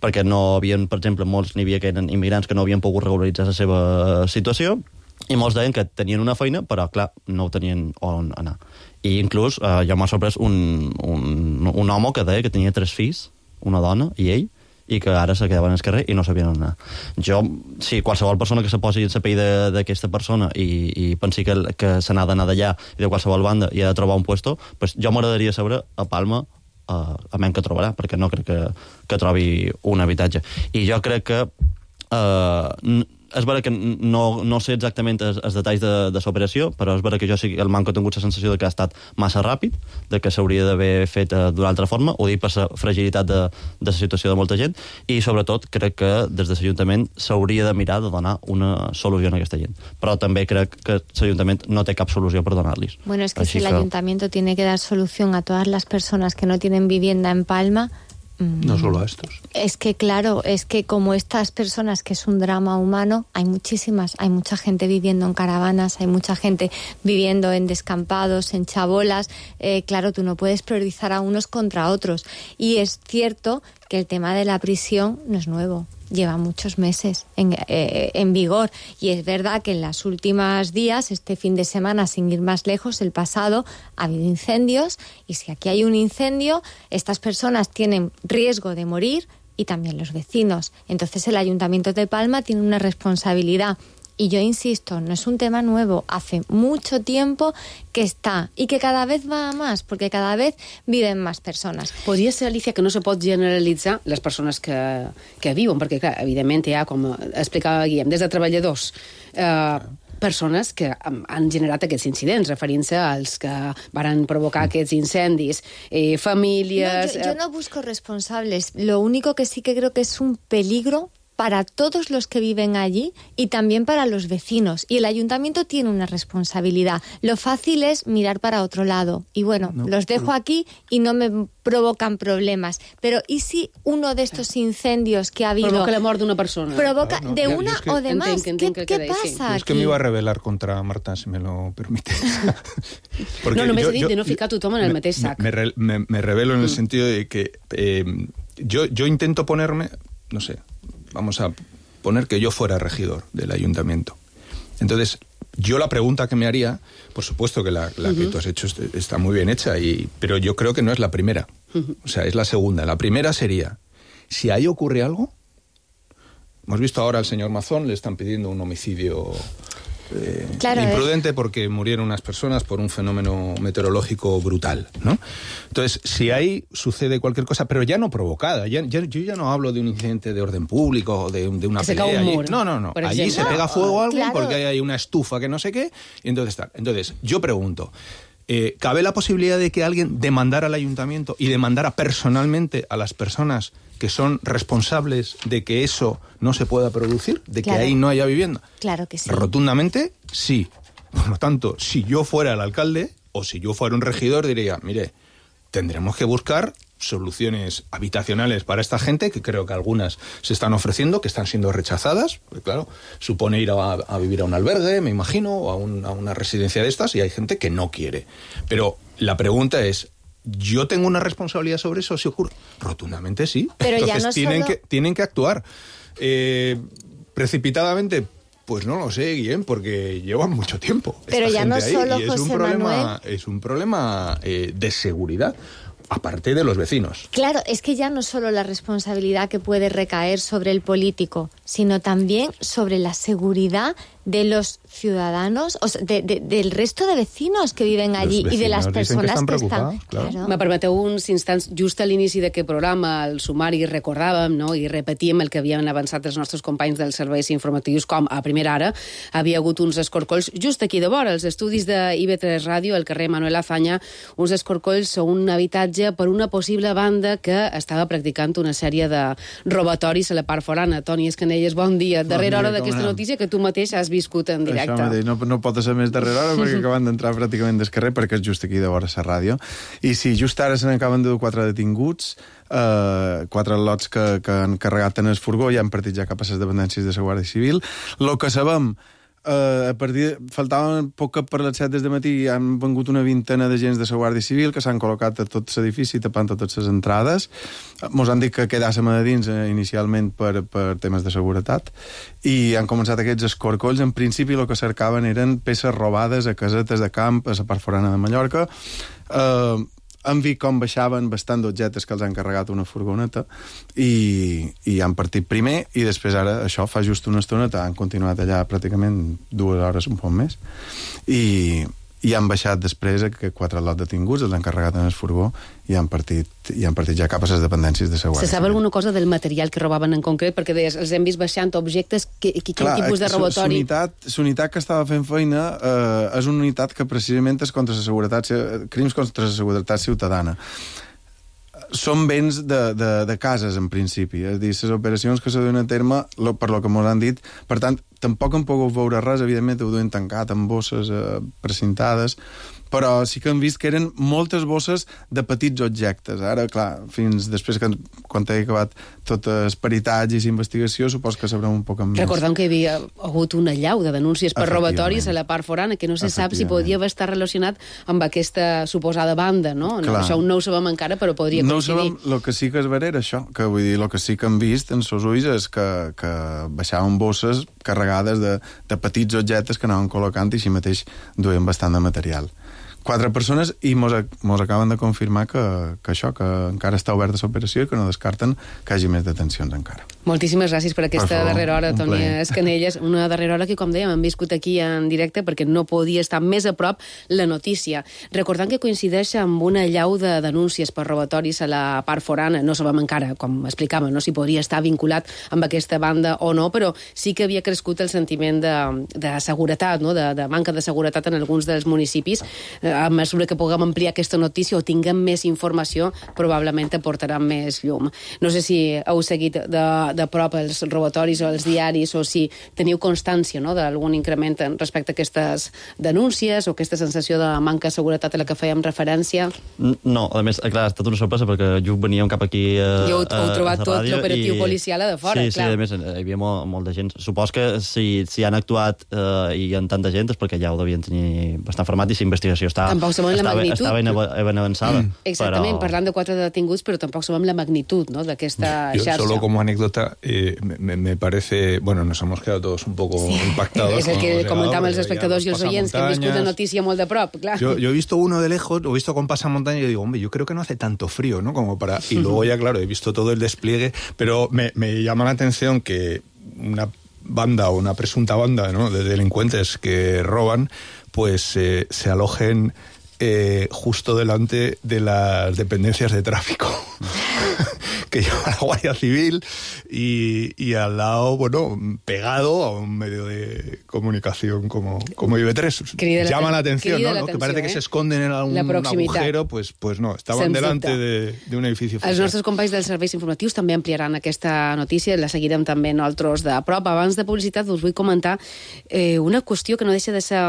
perquè no havien, per exemple, molts n'hi havia que eren immigrants que no havien pogut regularitzar la seva situació, i molts deien que tenien una feina, però, clar, no tenien on anar. I inclús uh, ja m'ha sorprès un, un, un home que deia que tenia tres fills, una dona i ell, i que ara se quedaven al carrer i no sabien on anar. Jo, si qualsevol persona que se posi en la pell d'aquesta persona i, i pensi que, que se n'ha d'anar d'allà i de qualsevol banda i ha de trobar un puesto, pues jo m'agradaria saber a Palma uh, a menys que trobarà, perquè no crec que, que trobi un habitatge. I jo crec que uh, és vera que no, no sé exactament els, els detalls de, de l'operació, però és vera que jo sí, el manco he tingut la sensació de que ha estat massa ràpid, de que s'hauria d'haver fet uh, d'una altra forma, ho dic per la fragilitat de, de la situació de molta gent, i sobretot crec que des de l'Ajuntament s'hauria de mirar de donar una solució a aquesta gent. Però també crec que l'Ajuntament no té cap solució per donar-los. Bueno, es que Així si el que... Ayuntamiento tiene que dar solución a todas las personas que no tienen vivienda en Palma... No solo a estos. Es que, claro, es que como estas personas, que es un drama humano, hay muchísimas, hay mucha gente viviendo en caravanas, hay mucha gente viviendo en descampados, en chabolas, eh, claro, tú no puedes priorizar a unos contra otros. Y es cierto que el tema de la prisión no es nuevo, lleva muchos meses en, eh, en vigor, y es verdad que en los últimos días, este fin de semana, sin ir más lejos, el pasado, ha habido incendios, y si aquí hay un incendio, estas personas tienen riesgo de morir y también los vecinos. Entonces el Ayuntamiento de Palma tiene una responsabilidad. Y yo insisto, no es un tema nuevo, hace mucho tiempo que está y que cada vez va a más, porque cada vez viven más persones. Podria ser, Alicia, que no se pot generalitzar les persones que, que viuen, perquè, clar, evidentment hi ha, com explicava Guillem, des de treballadors, eh, persones que han generat aquests incidents, referint-se als que van provocar aquests incendis, eh, famílies... No, yo, yo no busco responsables, lo único que sí que creo que es un peligro para todos los que viven allí y también para los vecinos. Y el ayuntamiento tiene una responsabilidad. Lo fácil es mirar para otro lado. Y bueno, no, los dejo aquí y no me provocan problemas. Pero ¿y si uno de estos incendios que ha habido... Provoca la mort d'una persona. Provoca Claro, no, de yo- una yo es que- o de más. Entenc, entenc ¿Qué, que qué queda ahí, sí. pasa Es que aquí? me iba a rebelar contra Marta, si me lo permite. Porque No, només yo- he dit yo- de no ficar tothom en el me- mateix sac. Me, re- me- me revelo en el Mm. sentido de que eh, yo, yo intento ponerme, no sé, vamos a poner que yo fuera regidor del ayuntamiento. Entonces, yo la pregunta que me haría, por supuesto que la, la que Ujú. tú has hecho est- está muy bien hecha, y, pero yo creo que no es la primera. Ujú. O sea, es la segunda. La primera sería, si ahí ocurre algo, hemos visto ahora al señor Mazón, le están pidiendo un homicidio eh, Claro, imprudente porque murieron unas personas por un fenómeno meteorológico brutal, ¿no? Entonces, si ahí sucede cualquier cosa, pero ya no provocada, ya, ya- yo ya no hablo de un incidente de orden público o de, de una Que se pelea. cae un allí. muro, No, no, no. por Allí ejemplo. se pega fuego a alguien Claro. porque hay una estufa que no sé qué, y entonces tal. Entonces, yo pregunto, eh, ¿cabe la posibilidad de que alguien demandara al ayuntamiento y demandara personalmente a las personas que son responsables de que eso no se pueda producir, de que Claro. ahí no haya vivienda? Claro que sí. Rotundamente, sí. Por lo tanto, si yo fuera el alcalde o si yo fuera un regidor, diría, mire, tendremos que buscar soluciones habitacionales para esta gente, que creo que algunas se están ofreciendo, que están siendo rechazadas, porque claro, supone ir a, a vivir a un albergue, me imagino, o a, un- a una residencia de estas, y hay gente que no quiere. Pero la pregunta es, ¿yo tengo una responsabilidad sobre eso si ocurre? Rotundamente sí. Pero ya Entonces no tienen, solo- que, tienen que actuar. Eh, precipitadamente, pues no lo sé, Guillem, porque llevan mucho tiempo. Pero esta ya no gente ahí, solo y es un José problema, Manuel. es un problema eh, de seguridad, aparte de los vecinos. Claro, es que ya no solo la responsabilidad que puede recaer sobre el político, sino también sobre la seguridad de los ciudadanos, o sea, de, de, del resto de vecinos que viven allí y de las personas que, que están... Claro. Me permeteu uns instants, just a l'inici d'aquest programa, al sumari, recordàvem, no?, i repetíem el que havien avançat els nostres companys dels serveis informatius, com a primera hora havia hagut uns escorcolls just aquí de vora, els estudis de I V tres Ràdio, al carrer Manuel Azaña, uns escorcolls a un habitatge per una possible banda que estava practicant una sèrie de robatoris a la part forana. Toni Escanelles, bon dia. Darrere dia, hora com d'aquesta anem? notícia que tu mateix has viscut en directe. Això mateix, no, no pot ser més darrere hora perquè acaben d'entrar pràcticament del carrer, perquè és just aquí de vora la ràdio. I sí, just ara se n'acaben de dur quatre detinguts, eh, quatre lots que, que han carregat en el furgó i han partit ja cap a les dependències de la Guàrdia Civil. Lo que sabem, Uh, a partir de, faltaven poc per les set des de matí i han vengut una vintena d'agents de la Guàrdia Civil que s'han col·locat a tot l'edifici tapant totes les entrades. Mos han dit que quedàssim a dins eh, inicialment per, per temes de seguretat i han començat aquests escorcolls. En principi el que cercaven eren peces robades a casetes de camp a la part forana de Mallorca. Uh, han vist com baixaven bastant d'objectes que els han carregat una furgoneta i, i han partit primer i després ara això fa just una estoneta han continuat allà pràcticament dues hores un poc més i, i han baixat després que quatre lots detinguts els han carregat en el furgó i han partit, i han partit ja cap a les dependències de seguretat. Se sap alguna cosa del material que robaven en concret? Perquè deies, els hem vist baixant objectes, que, que, quin tipus de robatori? L'unitat que estava fent feina eh, és una unitat que precisament és contra la seguretat, crims contra la seguretat ciutadana. Són béns de, de, de cases, en principi. És a dir, les operacions que se duen a terme, lo, per lo que ens han dit, per tant, tampoc hem pogut veure res, evidentment ho duen tancat amb bosses eh, precintades, però sí que hem vist que eren moltes bosses de petits objectes. Ara, clar, fins després que quan he acabat tot els peritatge i investigació, supos que sabrem un poc més. Recordem que hi havia hagut una allau de denúncies per robatoris a la part forana, que no se sap si podria estar relacionat amb aquesta suposada banda, no? no això no ho sabem encara, però podria no coincidir. No ho sabem, el que sí que es vera era això, que vull dir, el que sí que hem vist en sos ulls és que, que baixaven bosses carregades de, de petits objectes que anaven col·locant i així mateix duien bastant de material. Quatre persones i mos, mos acaben de confirmar que, que això, que encara està oberta l'operació i que no descarten que hagi més detencions encara. Moltíssimes gràcies per aquesta per favor, darrera hora, Toni Escanelles. Una darrera hora que, com dèiem, hem viscut aquí en directe perquè no podia estar més a prop la notícia. Recordant que coincideix amb una allau de denúncies per robatoris a la part forana. No sabem encara, com explicàvem, no, si podria estar vinculat amb aquesta banda o no, però sí que havia crescut el sentiment de, de seguretat, no? de, de manca de seguretat en alguns dels municipis. A mesura que puguem ampliar aquesta notícia o tinguem més informació, probablement aportarà més llum. No sé si heu seguit de, de prop els robatoris o els diaris o si teniu constància, no?, d'algun increment respecte a aquestes denúncies o aquesta sensació de manca de seguretat a la que fèiem referència. No, a més, clar, ha estat una sorpresa perquè jo veníem cap aquí a, jo heu, heu trobat a, a tot l'operatiu i... policial a de fora, sí, clar. Sí, a més, hi havia molt, molt de gent. Supos que si, si han actuat eh, i hi ha tanta gent és perquè ja ho devien tenir bastant format i la investigació està, sabem la magnitud. Estava ben, ben avançada. Mm. Exactament, però... parlant de quatre detinguts, però tampoc sabem la magnitud, ¿no?, d'aquesta xarxa. Solo como anécdota, eh, me, me parece... Bueno, nos hemos quedado todos un poco sí. impactados. Es el que comentamos los espectadores y los oyentes, que han viscut la noticia molt de prop, claro. Yo, yo he visto uno de lejos, lo he visto con pasamontaña y yo digo, hombre, yo creo que no hace tanto frío, ¿no? Como para... Y luego ya, claro, he visto todo el despliegue, pero me, me llama la atención que una banda o una presunta banda, ¿no?, de delincuentes que roban, pues eh, se alojen Eh, justo delante de las dependencias de tráfico que lleva la Guardia Civil y, y al lado, bueno, pegado a un medio de comunicación como, como I B tres. Crida Llama la, la atención, ¿no? La ¿no? atenció, que parece eh? que se esconden en algún agujero, pues, pues no, estaban Sens delante de, de un edificio oficial. Els nostres companys dels serveis informatius també ampliaran aquesta notícia, la seguirem també nosaltres de prop. Abans de publicitat us vull comentar eh, una qüestió que no deixa de ser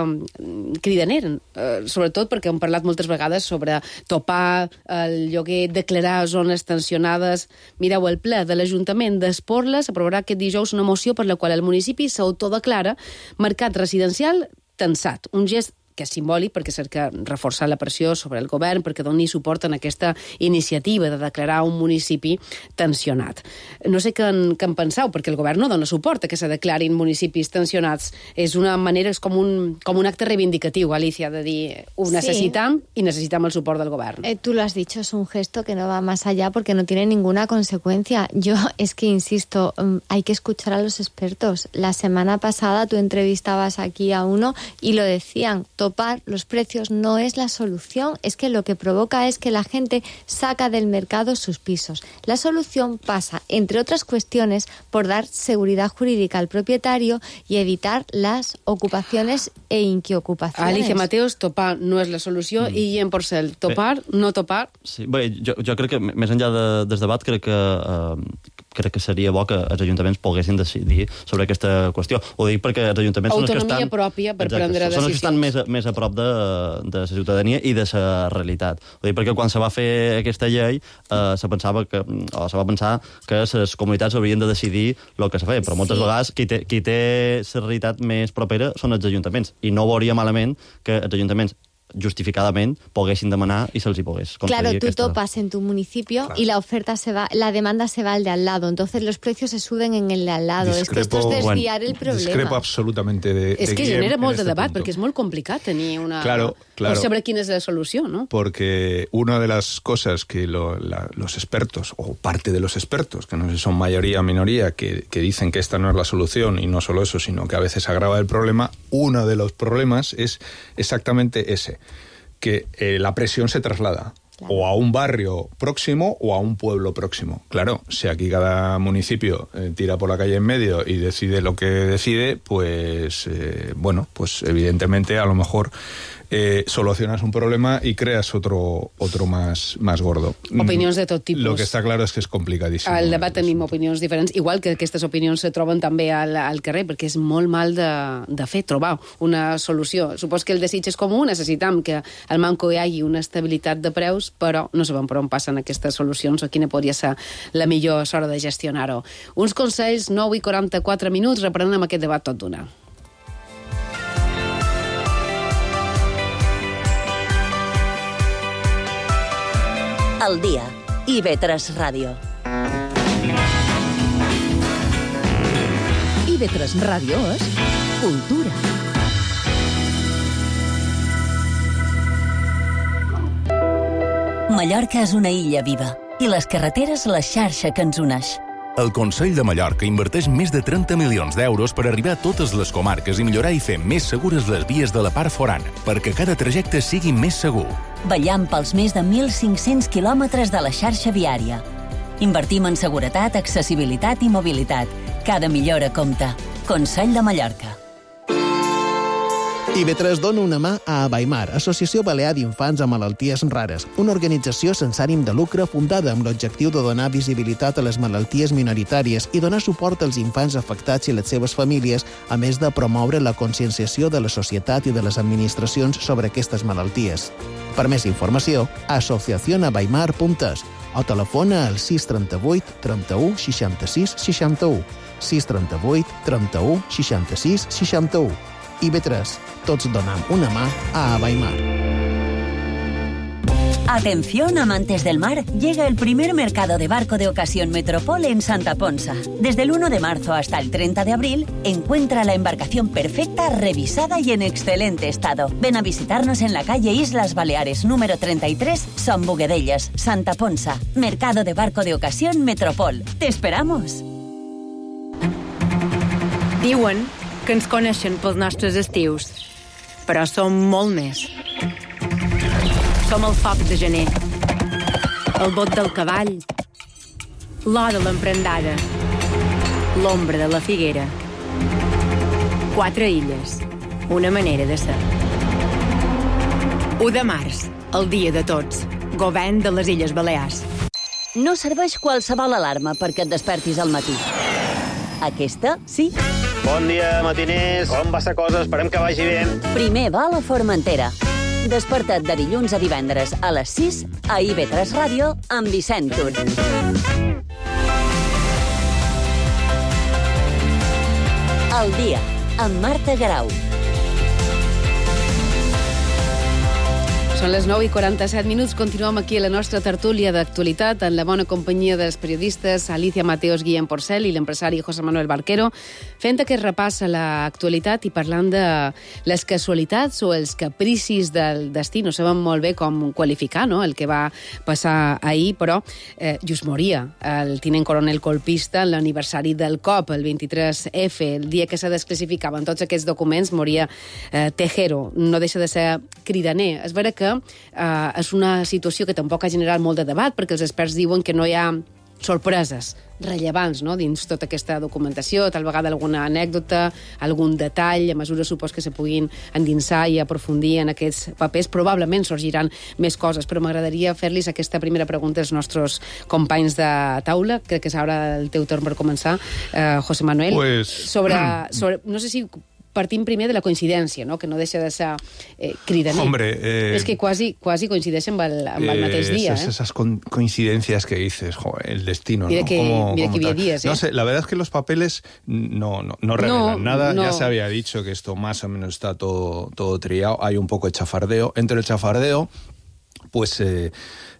cridaner, eh, sobretot perquè hem parlat moltes vegades sobre topar el lloguer, declarar zones tensionades. Mireu, el ple de l'Ajuntament d'Esporles aprovarà aquest dijous una moció per la qual el municipi s'autodeclara mercat residencial tensat. Un gest que és simbòlic perquè cerca reforçar la pressió sobre el govern perquè doni suport en aquesta iniciativa de declarar un municipi tensionat. No sé què en, què en penseu, perquè el govern no dona suport a que se declarin municipis tensionats. És una manera, és com un, com un acte reivindicatiu, Alicia, de dir ho necessitam sí. i necessitam el suport del govern. Eh, tú lo has dicho, es un gesto que no va más allá porque no tiene ninguna consecuencia. Yo es que insisto, hay que escuchar a los expertos. La semana pasada tú entrevistabas aquí a uno y lo decían, topar los precios no es la solución, es que lo que provoca es que la gente saca del mercado sus pisos. La solución pasa, entre otras cuestiones, por dar seguridad jurídica al propietario y evitar las ocupaciones e inquiocupaciones. Alicia Mateos, topar no és la solució mm. i Guillem Porcel, topar, bé, no topar... Sí, bé, jo, jo crec que més enllà de, del debat crec que eh, crec que seria bo que els ajuntaments poguessin decidir sobre aquesta qüestió. Ho dic perquè els ajuntaments Autonomia són els que estan... pròpia per exacte, prendre decisions. Són els que estan més, més a prop de, de la ciutadania i de la realitat. Ho dic perquè quan se va fer aquesta llei eh, se pensava que, o se va pensar que les comunitats haurien de decidir el que se feia, però moltes sí. vegades qui té, qui té la realitat més propera són els ajuntaments, i no veuria malament que els ajuntaments justificadament poguessin demanar y se les hi pogués concedir. Claro, tú aquesta... topas en tu municipio Claro. y la oferta se va, la demanda se va al de al lado, entonces los precios se suben en el de al lado. Discrepo, es que esto es desviar bueno, el problema. Discrepo absolutamente de, És de que Guillem genera molt de este debat, punto. perquè és molt complicat tenir una... Claro, claro. O saber quina és la solució, ¿no? Porque una de las cosas que lo, la, los expertos, o parte de los expertos, que no sé si son mayoría o minoría, que, que dicen que esta no es la solución, y no solo eso, sino que a veces agrava el problema, uno de los problemas es exactamente ese, que eh, la presión se traslada. Claro. O a un barrio próximo o a un pueblo próximo. Claro, si aquí cada municipio eh, tira por la calle en medio y decide lo que decide, pues, eh, bueno, pues evidentemente a lo mejor eh, solucionas un problema y creas otro, otro más, más gordo. Opinions de tot tipus. Lo que està clar és que és complicadíssim. Al debat tenim opinions diferents, igual que aquestes opinions se troben també al, al carrer, perquè és molt mal de, de fer, trobar una solució. Supos que el desig és comú, necessitam que al Manco hi hagi una estabilitat de preus, però no sabem per on passen aquestes solucions o quina podria ser la millor hora de gestionar-ho. Uns consells, nou i quaranta-quatre minuts, reprenem aquest debat tot d'una. Al dia. I ve tres Ràdio. I ve tres Ràdio és cultura. Mallorca és una illa viva i les carreteres la xarxa que ens uneix. El Consell de Mallorca inverteix més de trenta milions d'euros per arribar a totes les comarques i millorar i fer més segures les vies de la part forana, perquè cada trajecte sigui més segur. Vetllant pels més de mil cinc-cents quilòmetres de la xarxa viària. Invertim en seguretat, accessibilitat i mobilitat. Cada millora compta. Consell de Mallorca. I ve tres dona una mà a Abaimar, Associació Balear d'Infants amb Malalties Rares, una organització sense ànim de lucre fundada amb l'objectiu de donar visibilitat a les malalties minoritàries i donar suport als infants afectats i les seves famílies, a més de promoure la conscienciació de la societat i de les administracions sobre aquestes malalties. Per més informació, asociación abaimar punt es o telefona al sis trenta-vuit trenta-u seixanta-sis seixanta-u, sis trenta-vuit trenta-u seixanta-sis seixanta-u. I ve tres, tots donem una mà a Abaimar. Atención, amantes del mar, llega el primer mercado de barco de ocasión Metropol en Santa Ponsa. Desde el uno de marzo hasta el treinta de abril, encuentra la embarcación perfecta, revisada y en excelente estado. Ven a visitarnos en la calle Islas Baleares, número treinta y tres, Son Boguedellas, Santa Ponsa. Mercado de barco de ocasión Metropol. ¡Te esperamos! Diuen que ens coneixen pels nostres estius, però som molt més. Som el foc de gener, el bot del cavall, l'or de l'emprendada, l'ombra de la figuera. Quatre illes, una manera de ser. u de març, el dia de tots, govern de les Illes Balears. No serveix qualsevol alarma perquè et despertis al matí. Aquesta, sí. Bon dia, matiners. Com va la cosa? Esperem que vagi bé. Primer vol a Formentera. Desperta't de dilluns a divendres a les sis a I ve tres Ràdio amb Vicent Tur. Al dia, amb Marta Garau. Són les nou i quaranta-set minuts. Continuem aquí a la nostra tertúlia d'actualitat en la bona companyia dels periodistes Alicia Mateos, Guillem Porcel i l'empresari José Manuel Barquero, fent aquest repàs a l'actualitat i parlant de les casualitats o els capricis del destí. No sabem molt bé com qualificar, no?, el que va passar ahir, però eh, just moria el tinent coronel colpista en l'aniversari del cop, el vint-i-tres efe, el dia que se desclassificaven tots aquests documents, moria eh, Tejero. No deixa de ser cridaner. És vera que Uh, és una situació que tampoc ha generat molt de debat, perquè els experts diuen que no hi ha sorpreses rellevants, no?, dins tota aquesta documentació, tal vegada alguna anècdota, algun detall, a mesura supos que se puguin endinsar i aprofundir en aquests papers, probablement sorgiran més coses, però m'agradaria fer-los aquesta primera pregunta als nostres companys de taula. Crec que és ara el teu torn per començar, uh, José Manuel. Pues... sobre, sobre, no sé si partim primer de la coincidència, no? Que no deixa de ser eh, cridaner. Hombre, eh, es que quasi, quasi coincideixen amb el, amb el mateix eh, día. Esas, ¿eh? esas co coincidencias que dices, joder, el destino, mira ¿no? Que, como, mira como que había tal. días, ¿eh? No sé, la verdad es que los papeles no, no, no revelan No, nada. no. Ya se había dicho que esto más o menos está todo, todo trillado. Hay un poco de chafardeo. Entre el chafardeo, pues eh,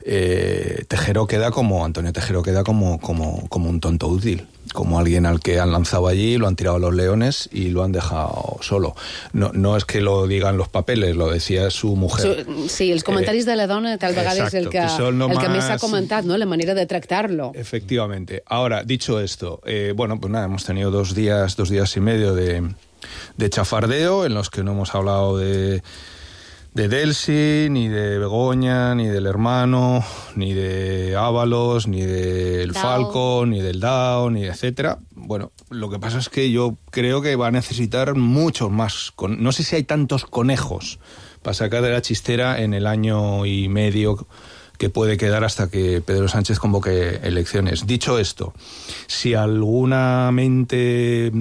eh, Tejero queda como, Antonio Tejero queda como, como, como un tonto útil, como alguien al que han lanzado allí, lo han tirado a los leones y lo han dejado solo. No, no es que lo digan los papeles, lo decía su mujer. Su, sí, els comentaris eh, de la dona tal vegada és el que, que el más... que més s'ha comentat, ¿no? La manera de tractarlo. Efectivamente. Ahora, dicho esto, eh, bueno, pues nada, hemos tenido dos días, dos días y medio de, de chafardeo en los que no hemos hablado de... de Delsi, ni de Begoña, ni del hermano, ni de Ábalos, ni del Falco, ni del Dao, ni etcétera. Bueno, lo que pasa es que yo creo que va a necesitar muchos más. Con... No sé si hay tantos conejos para sacar de la chistera en el año y medio que puede quedar hasta que Pedro Sánchez convoque elecciones. Dicho esto, si alguna mente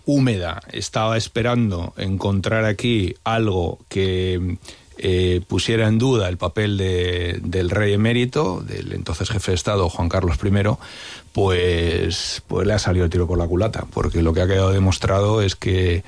húmeda estaba esperando encontrar aquí algo que eh, pusiera en duda el papel de, del rey emérito, del entonces jefe de Estado, Juan Carlos primero, pues, pues le ha salido el tiro por la culata, porque lo que ha quedado demostrado es que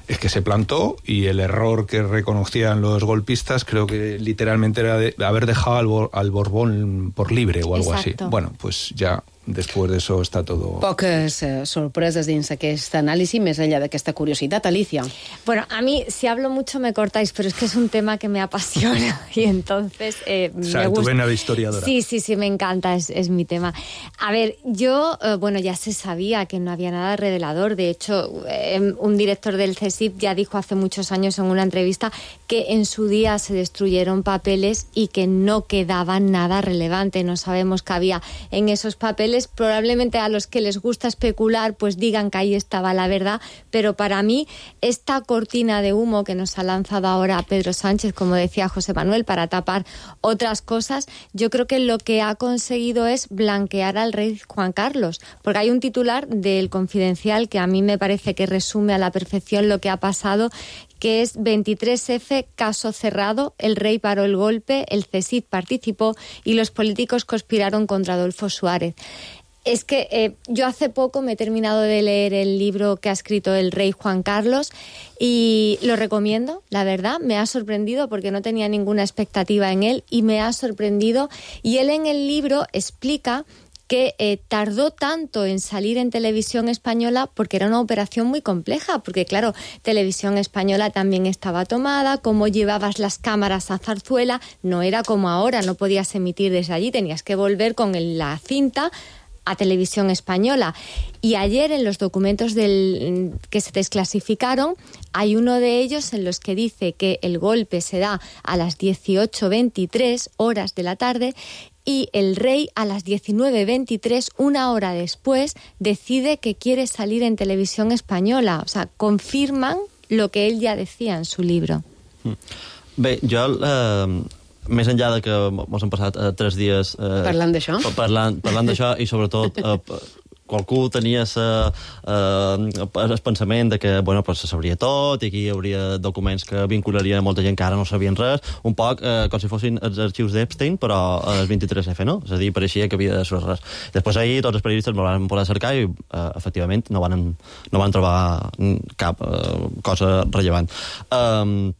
es que se plantó y el error que reconocían los golpistas creo que literalmente era de haber dejado al, Bor al Borbón por libre o algo Exacto. así. Bueno, pues ya después de eso está todo... Poques eh, sorpreses dins aquest anàlisi, més enllà d'aquesta curiositat. Alicia. Bueno, a mí, si hablo mucho me cortáis, pero es que es un tema que me apasiona y entonces eh, o sea, me gusta... tu vena de historiadora. Sí, sí, sí, me encanta, es, es mi tema. A ver, yo, eh, bueno, ya se sabía que no había nada revelador. De hecho, eh, un director del C S I P ya dijo hace muchos años en una entrevista que en su día se destruyeron papeles y que no quedaba nada relevante. No sabemos qué había en esos papeles. Probablemente a los que les gusta especular pues digan que ahí estaba la verdad, pero para mí esta cortina de humo que nos ha lanzado ahora Pedro Sánchez, como decía José Manuel, para tapar otras cosas, yo creo que lo que ha conseguido es blanquear al rey Juan Carlos, porque hay un titular del Confidencial que a mí me parece que resume a la perfección lo que ha pasado, que es veintitrés efe, caso cerrado, el rey paró el golpe, el C S I P participó y los políticos conspiraron contra Adolfo Suárez. Es que eh, yo hace poco me he terminado de leer el libro que ha escrito el rey Juan Carlos y lo recomiendo, la verdad. Me ha sorprendido porque no tenía ninguna expectativa en él y me ha sorprendido. Y él en el libro explica que eh, tardó tanto en salir en Televisión Española porque era una operación muy compleja, porque claro, Televisión Española también estaba tomada, cómo llevabas las cámaras a Zarzuela, no era como ahora, no podías emitir desde allí, tenías que volver con el, la cinta a Televisión Española. Y ayer en los documentos del, que se desclasificaron hay uno de ellos en los que dice que el golpe se da a las dieciocho veintitrés horas de la tarde y el rey a las diecinueve veintitrés, una hora después, decide que quiere salir en Televisión Española. O sea, confirman lo que él ya decía en su libro. Bé, jo... Eh... Més enllà de que ens hem passat eh, tres dies... Eh, parlant d'això? Parlant, parlant d'això i sobretot eh, qualcú tenia sa, eh, el pensament de que bueno, pues, se sabria tot i aquí hi hauria documents que vincularien molta gent que ara no sabien res, un poc eh, com si fossin els arxius d'Epstein però els veintitrés efe, no? És a dir, pareixia que havia de ser res. Després ahir tots els periodistes me van poder cercar i eh, efectivament no van, no van trobar cap eh, cosa rellevant. Eh,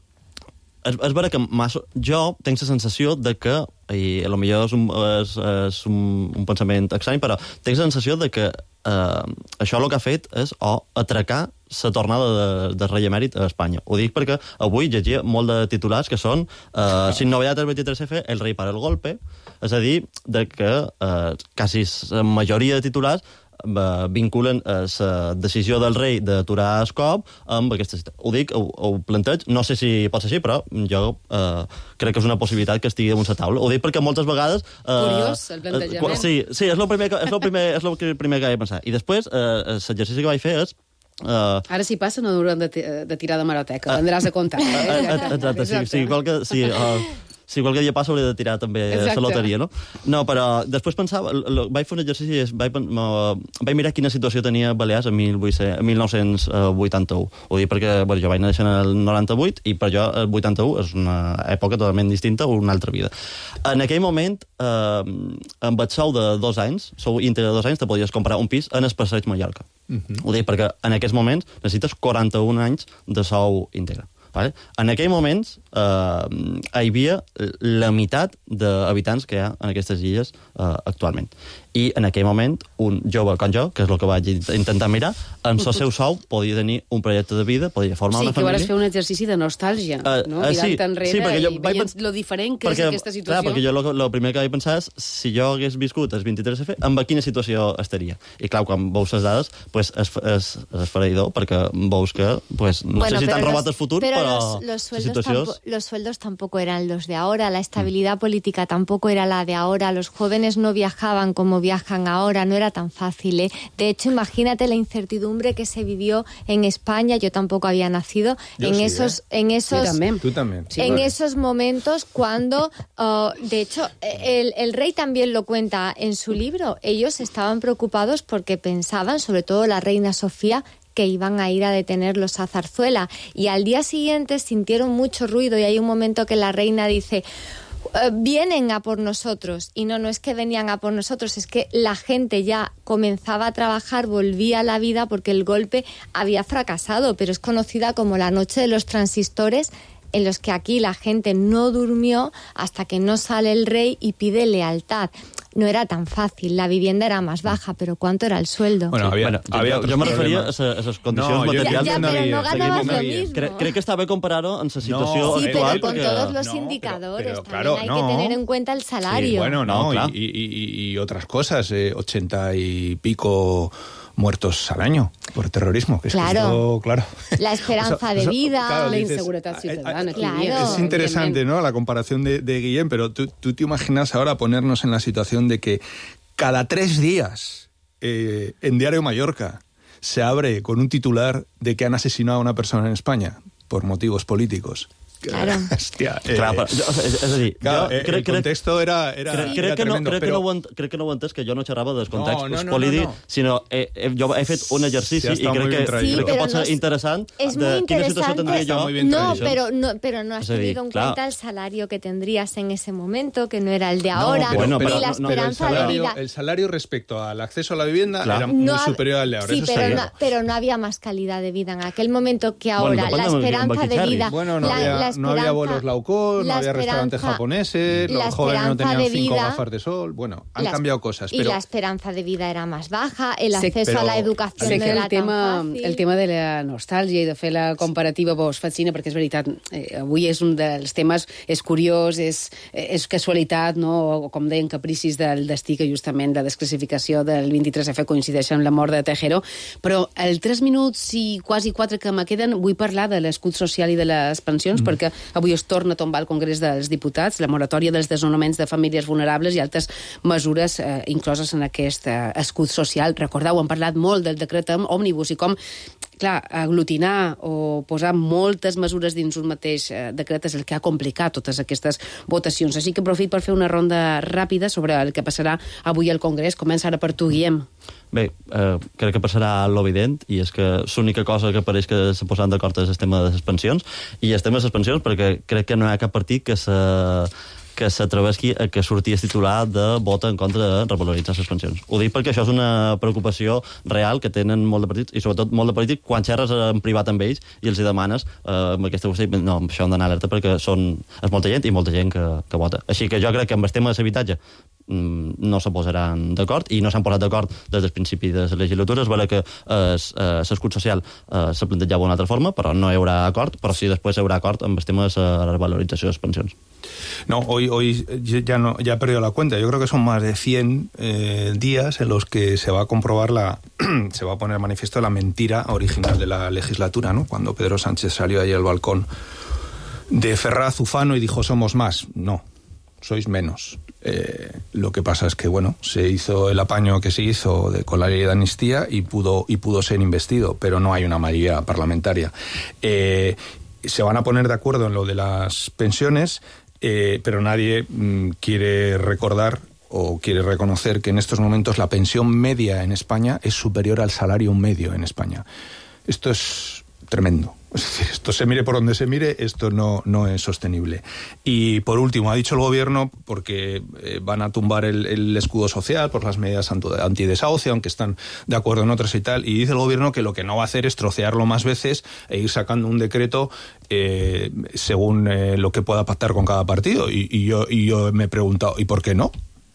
És, és vera que massa, jo tinc la sensació de que, i a lo millor és un, és, és un, un pensament estrany, però tinc la sensació de que eh, això el que ha fet és o atracar la tornada de, de rei emèrit a Espanya. Ho dic perquè avui llegia molt de titulars que són eh, sin novedad el veintitrés efe, el rei para el golpe, és a dir, de que eh, quasi la majoria de titulars vinculen la decisió del rei d'aturar el cop amb aquesta cita. Ho dic, ho, ho planteig, no sé si pot ser així, però jo eh, crec que és una possibilitat que estigui damunt la taula. Ho dic perquè moltes vegades... Eh, Curiós, el plantejament. Eh, sí, sí, és el primer que, és el primer, és el primer que he pensat. I després, eh, l'exercici que vaig fer és... Uh, Ara si passa no hauran de, de tirar de maroteca, vendràs a comptar. Eh? Exacte, sí, sí, qualque... Sí, uh, si qualque dia passa hauré de tirar també Exacte. la loteria, no? No, però després pensava, lo, vaig fer un exercici, vaig, vaig mirar quina situació tenia Balears en mil nou-cents vuitanta-u. Ho dic perquè bueno, jo vaig néixer en el noranta-vuit i per jo el vuitanta-u és una època totalment distinta o una altra vida. En aquell moment, eh, amb el sou de dos anys, sou íntegre de dos anys, te podies comprar un pis en el Passeig Mallorca. Uh-huh. Ho dic perquè en aquests moments necessites quaranta-un anys de sou íntegre. Vale? En aquell moments eh, hi havia la meitat d'habitants que hi ha en aquestes illes eh, actualment. I en aquell moment un jove com jo, que és el que vaig intentar mirar, en el seu sou podia tenir un projecte de vida, podia formar sí, una família. Sí, que vas fer un exercici de nostàlgia, uh, no? Uh, Mirant sí, enrere sí, perquè jo i vaig veient pens... lo diferent que perquè, és aquesta situació. Clar, perquè jo el primer que vaig pensar és si jo hagués viscut el vint-i-tres efe, en quina situació estaria. I clar, quan veus les dades, pues, és, és, és esfereïdor, perquè veus que pues, no bueno, sé si t'han robat el futur, pero però los, los, sueldos situacions... tampo, los sueldos tampoco eran los de ahora, la estabilidad mm. política tampoco era la de ahora, los jóvenes no viajaban como viajan ahora, no era tan fácil, ¿eh? De hecho, imagínate la incertidumbre que se vivió en España, yo tampoco había nacido, yo en, sí, esos, ¿eh? en esos... Tú también. Tú también. Sí, en bueno. esos momentos cuando, uh, de hecho, el, el rey también lo cuenta en su libro, ellos estaban preocupados porque pensaban, sobre todo la reina Sofía, que iban a ir a detenerlos a Zarzuela. Y al día siguiente sintieron mucho ruido y hay un momento que la reina dice... vienen a por nosotros, y no, no es que venían a por nosotros, es que la gente ya comenzaba a trabajar, volvía a la vida porque el golpe había fracasado, pero es conocida como la noche de los transistores, en los que aquí la gente no durmió hasta que no sale el rey y pide lealtad. No era tan fácil, la vivienda era más baja, pero ¿cuánto era el sueldo? Bueno, había, bueno, había jo, jo me referia a esas condicions no, materials. Ja, ja, però no ganabas lo mismo. Crec, crec que està bé comparar-ho en la situació no, sí, actual. pero con porque... todos los no, indicadores pero, pero, también claro, hay no. que tener en cuenta el salario. Sí, bueno, no, no claro. y, y, y otras cosas, eh, ochenta y pico muertos al año por terrorismo. Que es claro. Que esto, claro. La esperanza o sea, de o sea, vida, claro, la dices, inseguridad ciudadana. Claro. Es interesante, ¿no?, la comparación de, de Guillem, pero tú, tú te imaginas ahora ponernos en la situación de que cada tres días eh, en Diario Mallorca se abre con un titular de que han asesinado a una persona en España por motivos políticos. Claro. Hòstia, eh, clar, però, és, és a dir, clar, jo eh, crec, el contexto crec, era, era, crec, crec, era que no, tremendo, crec, però... que no ho ent, crec que no ho entès, que jo no xerrava dels contextos no, no, no, polítics, no, no. sinó eh, eh, jo he fet un exercici Sí, i crec que, Sí, crec que pot ser no es, interessant es de muy quina situació tindria jo. No, pero no, pero no has es decir, tenido en claro. cuenta el salario que tendrías en ese momento, que no era el de No, ahora, pero, bueno, ni pero, la no, no, esperanza pero el salario, de vida. el salario respecto al acceso a la vivienda claro. era muy No, superior al de ahora. Sí, eso pero está no, claro. pero no había más calidad de vida en aquel momento que ahora. Bueno, la depende de esperanza de Baquichari. vida. Bueno, no, la, había, la no había vuelos Laucón, no había restaurantes japoneses, la los jóvenes no esperanza tenían de cinco vida, gafas de sol. Bueno, han la, cambiado cosas. Y pero... la esperanza de vida era más baja, el Sé, acceso pero, a la educación sé no que era el tema, tan fàcil. el tema de la nostàlgia i de fer la comparativa vos fascina, perquè és veritat, eh, avui és un dels temes, és curiós, és, és casualitat, no? O com deien, capricis del destí, que justament la desclassificació del vint-i-tres efe coincideix amb la mort de Tejero, però el tres minuts i quasi quatre que me queden vull parlar de l'escut social i de les pensions, mm. perquè avui es torna a tombar al Congrés dels Diputats la moratòria dels desnonaments de famílies vulnerables i altres mesures eh, incloses en aquest eh, escut social. Recordeu, hem parlat molt del decret òmnibus i com, clar, aglutinar o posar moltes mesures dins un mateix eh, decret és el que ha complicat totes aquestes votacions. Així que aprofit per fer una ronda ràpida sobre el que passarà avui al Congrés. Comença ara per tu, Guillem. Bé, eh, crec que passarà l'evident, i és que l'única cosa que pareix que s'ha posat d'acord és el tema de les pensions, i el tema de les pensions perquè crec que no hi ha cap partit que se... que s'atrevesqui a que sortís titular de vota en contra de revaloritzar les pensions. Ho dic perquè això és una preocupació real que tenen molt de partits, i sobretot molt de polítics, quan xerres en privat amb ells i els hi demanes eh, amb aquesta qüestió, no, això han d'anar alerta perquè són, és molta gent i molta gent que, que vota. Així que jo crec que amb el tema de l'habitatge no se posaran d'acord, i no s'han posat d'acord des del principi de la legislatura. És vera que l'escut social eh, se plantejava d'una altra forma, però no hi haurà acord, però sí després hi haurà acord amb el tema de la revalorització de les pensions. No, hoy, hoy ya no ya he perdido la cuenta. Yo creo que son más de cien eh, días en los que se va a comprobar la se va a poner manifiesto la mentira original de la legislatura, ¿no? Cuando Pedro Sánchez salió ahí al balcón de Ferraz Ufano y dijo somos más. No, sois menos. Eh, lo que pasa es que, bueno, se hizo el apaño que se hizo de, con la ley de amnistía y pudo, y pudo ser investido, pero no hay una mayoría parlamentaria. Eh, se van a poner de acuerdo en lo de las pensiones. eh, pero nadie mm, quiere recordar o quiere reconocer que en estos momentos la pensión media en España es superior al salario medio en España. Esto es tremendo. Es decir, esto se mire por donde se mire, esto no, no es sostenible. Y por último, ha dicho el gobierno, porque eh, van a tumbar el, el escudo social por las medidas antidesahucio, aunque están de acuerdo en otras y tal, y dice el gobierno que lo que no va a hacer es trocearlo más veces e ir sacando un decreto eh, según eh, lo que pueda pactar con cada partido. Y, y, yo, y yo me he preguntado, ¿y por qué no?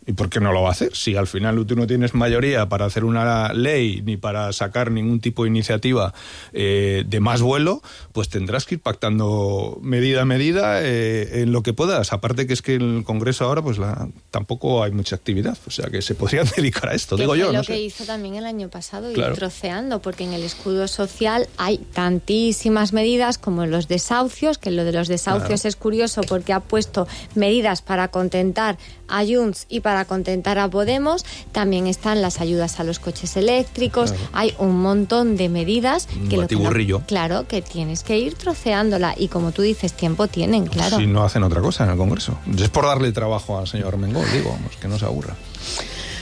¿Y por qué no lo va a hacer? Si al final tú no tienes mayoría para hacer una ley ni para sacar ningún tipo de iniciativa eh, de más vuelo, pues tendrás que ir pactando medida a medida eh, en lo que puedas. Aparte que es que en el Congreso ahora pues la, tampoco hay mucha actividad, o sea que se podrían dedicar a esto, digo yo. Lo no que sé. hizo también el año pasado, Claro. ir troceando, porque en el escudo social hay tantísimas medidas como los desahucios, que lo de los desahucios Claro. es curioso porque ha puesto medidas para contentar a Junts y para contentar a Podemos. También están las ayudas a los coches eléctricos. Claro. Hay un montón de medidas Un que, lo que no- batiburrillo. claro, que tienes que ir troceándola. Y como tú dices, tiempo tienen, claro. Si no hacen otra cosa en el Congreso. Es por darle trabajo al señor Armengol, digo, vamos, que no se aburra.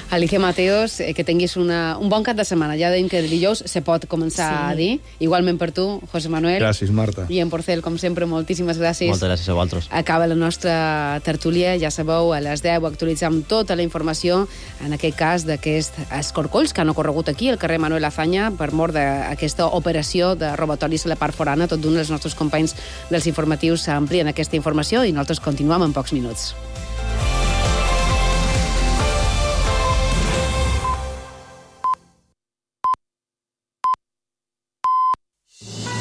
Alicia Mateos, eh, que tinguis una, un bon cap de setmana. Ja deim que dijous se pot començar Sí. a dir. Igualment per tu, José Manuel. Gràcies, Marta. I en Porcel, com sempre, moltíssimes gràcies. Moltes gràcies a vosaltres. Acaba la nostra tertúlia, ja sabeu, a les deu actualitzam tota la informació, en aquest cas d'aquests escorcolls que han ocorregut aquí, al carrer Manuel Azaña, per mort d'aquesta operació de robatoris a la part forana. Tot d'un dels nostres companys dels informatius amplien aquesta informació i nosaltres continuem en pocs minuts.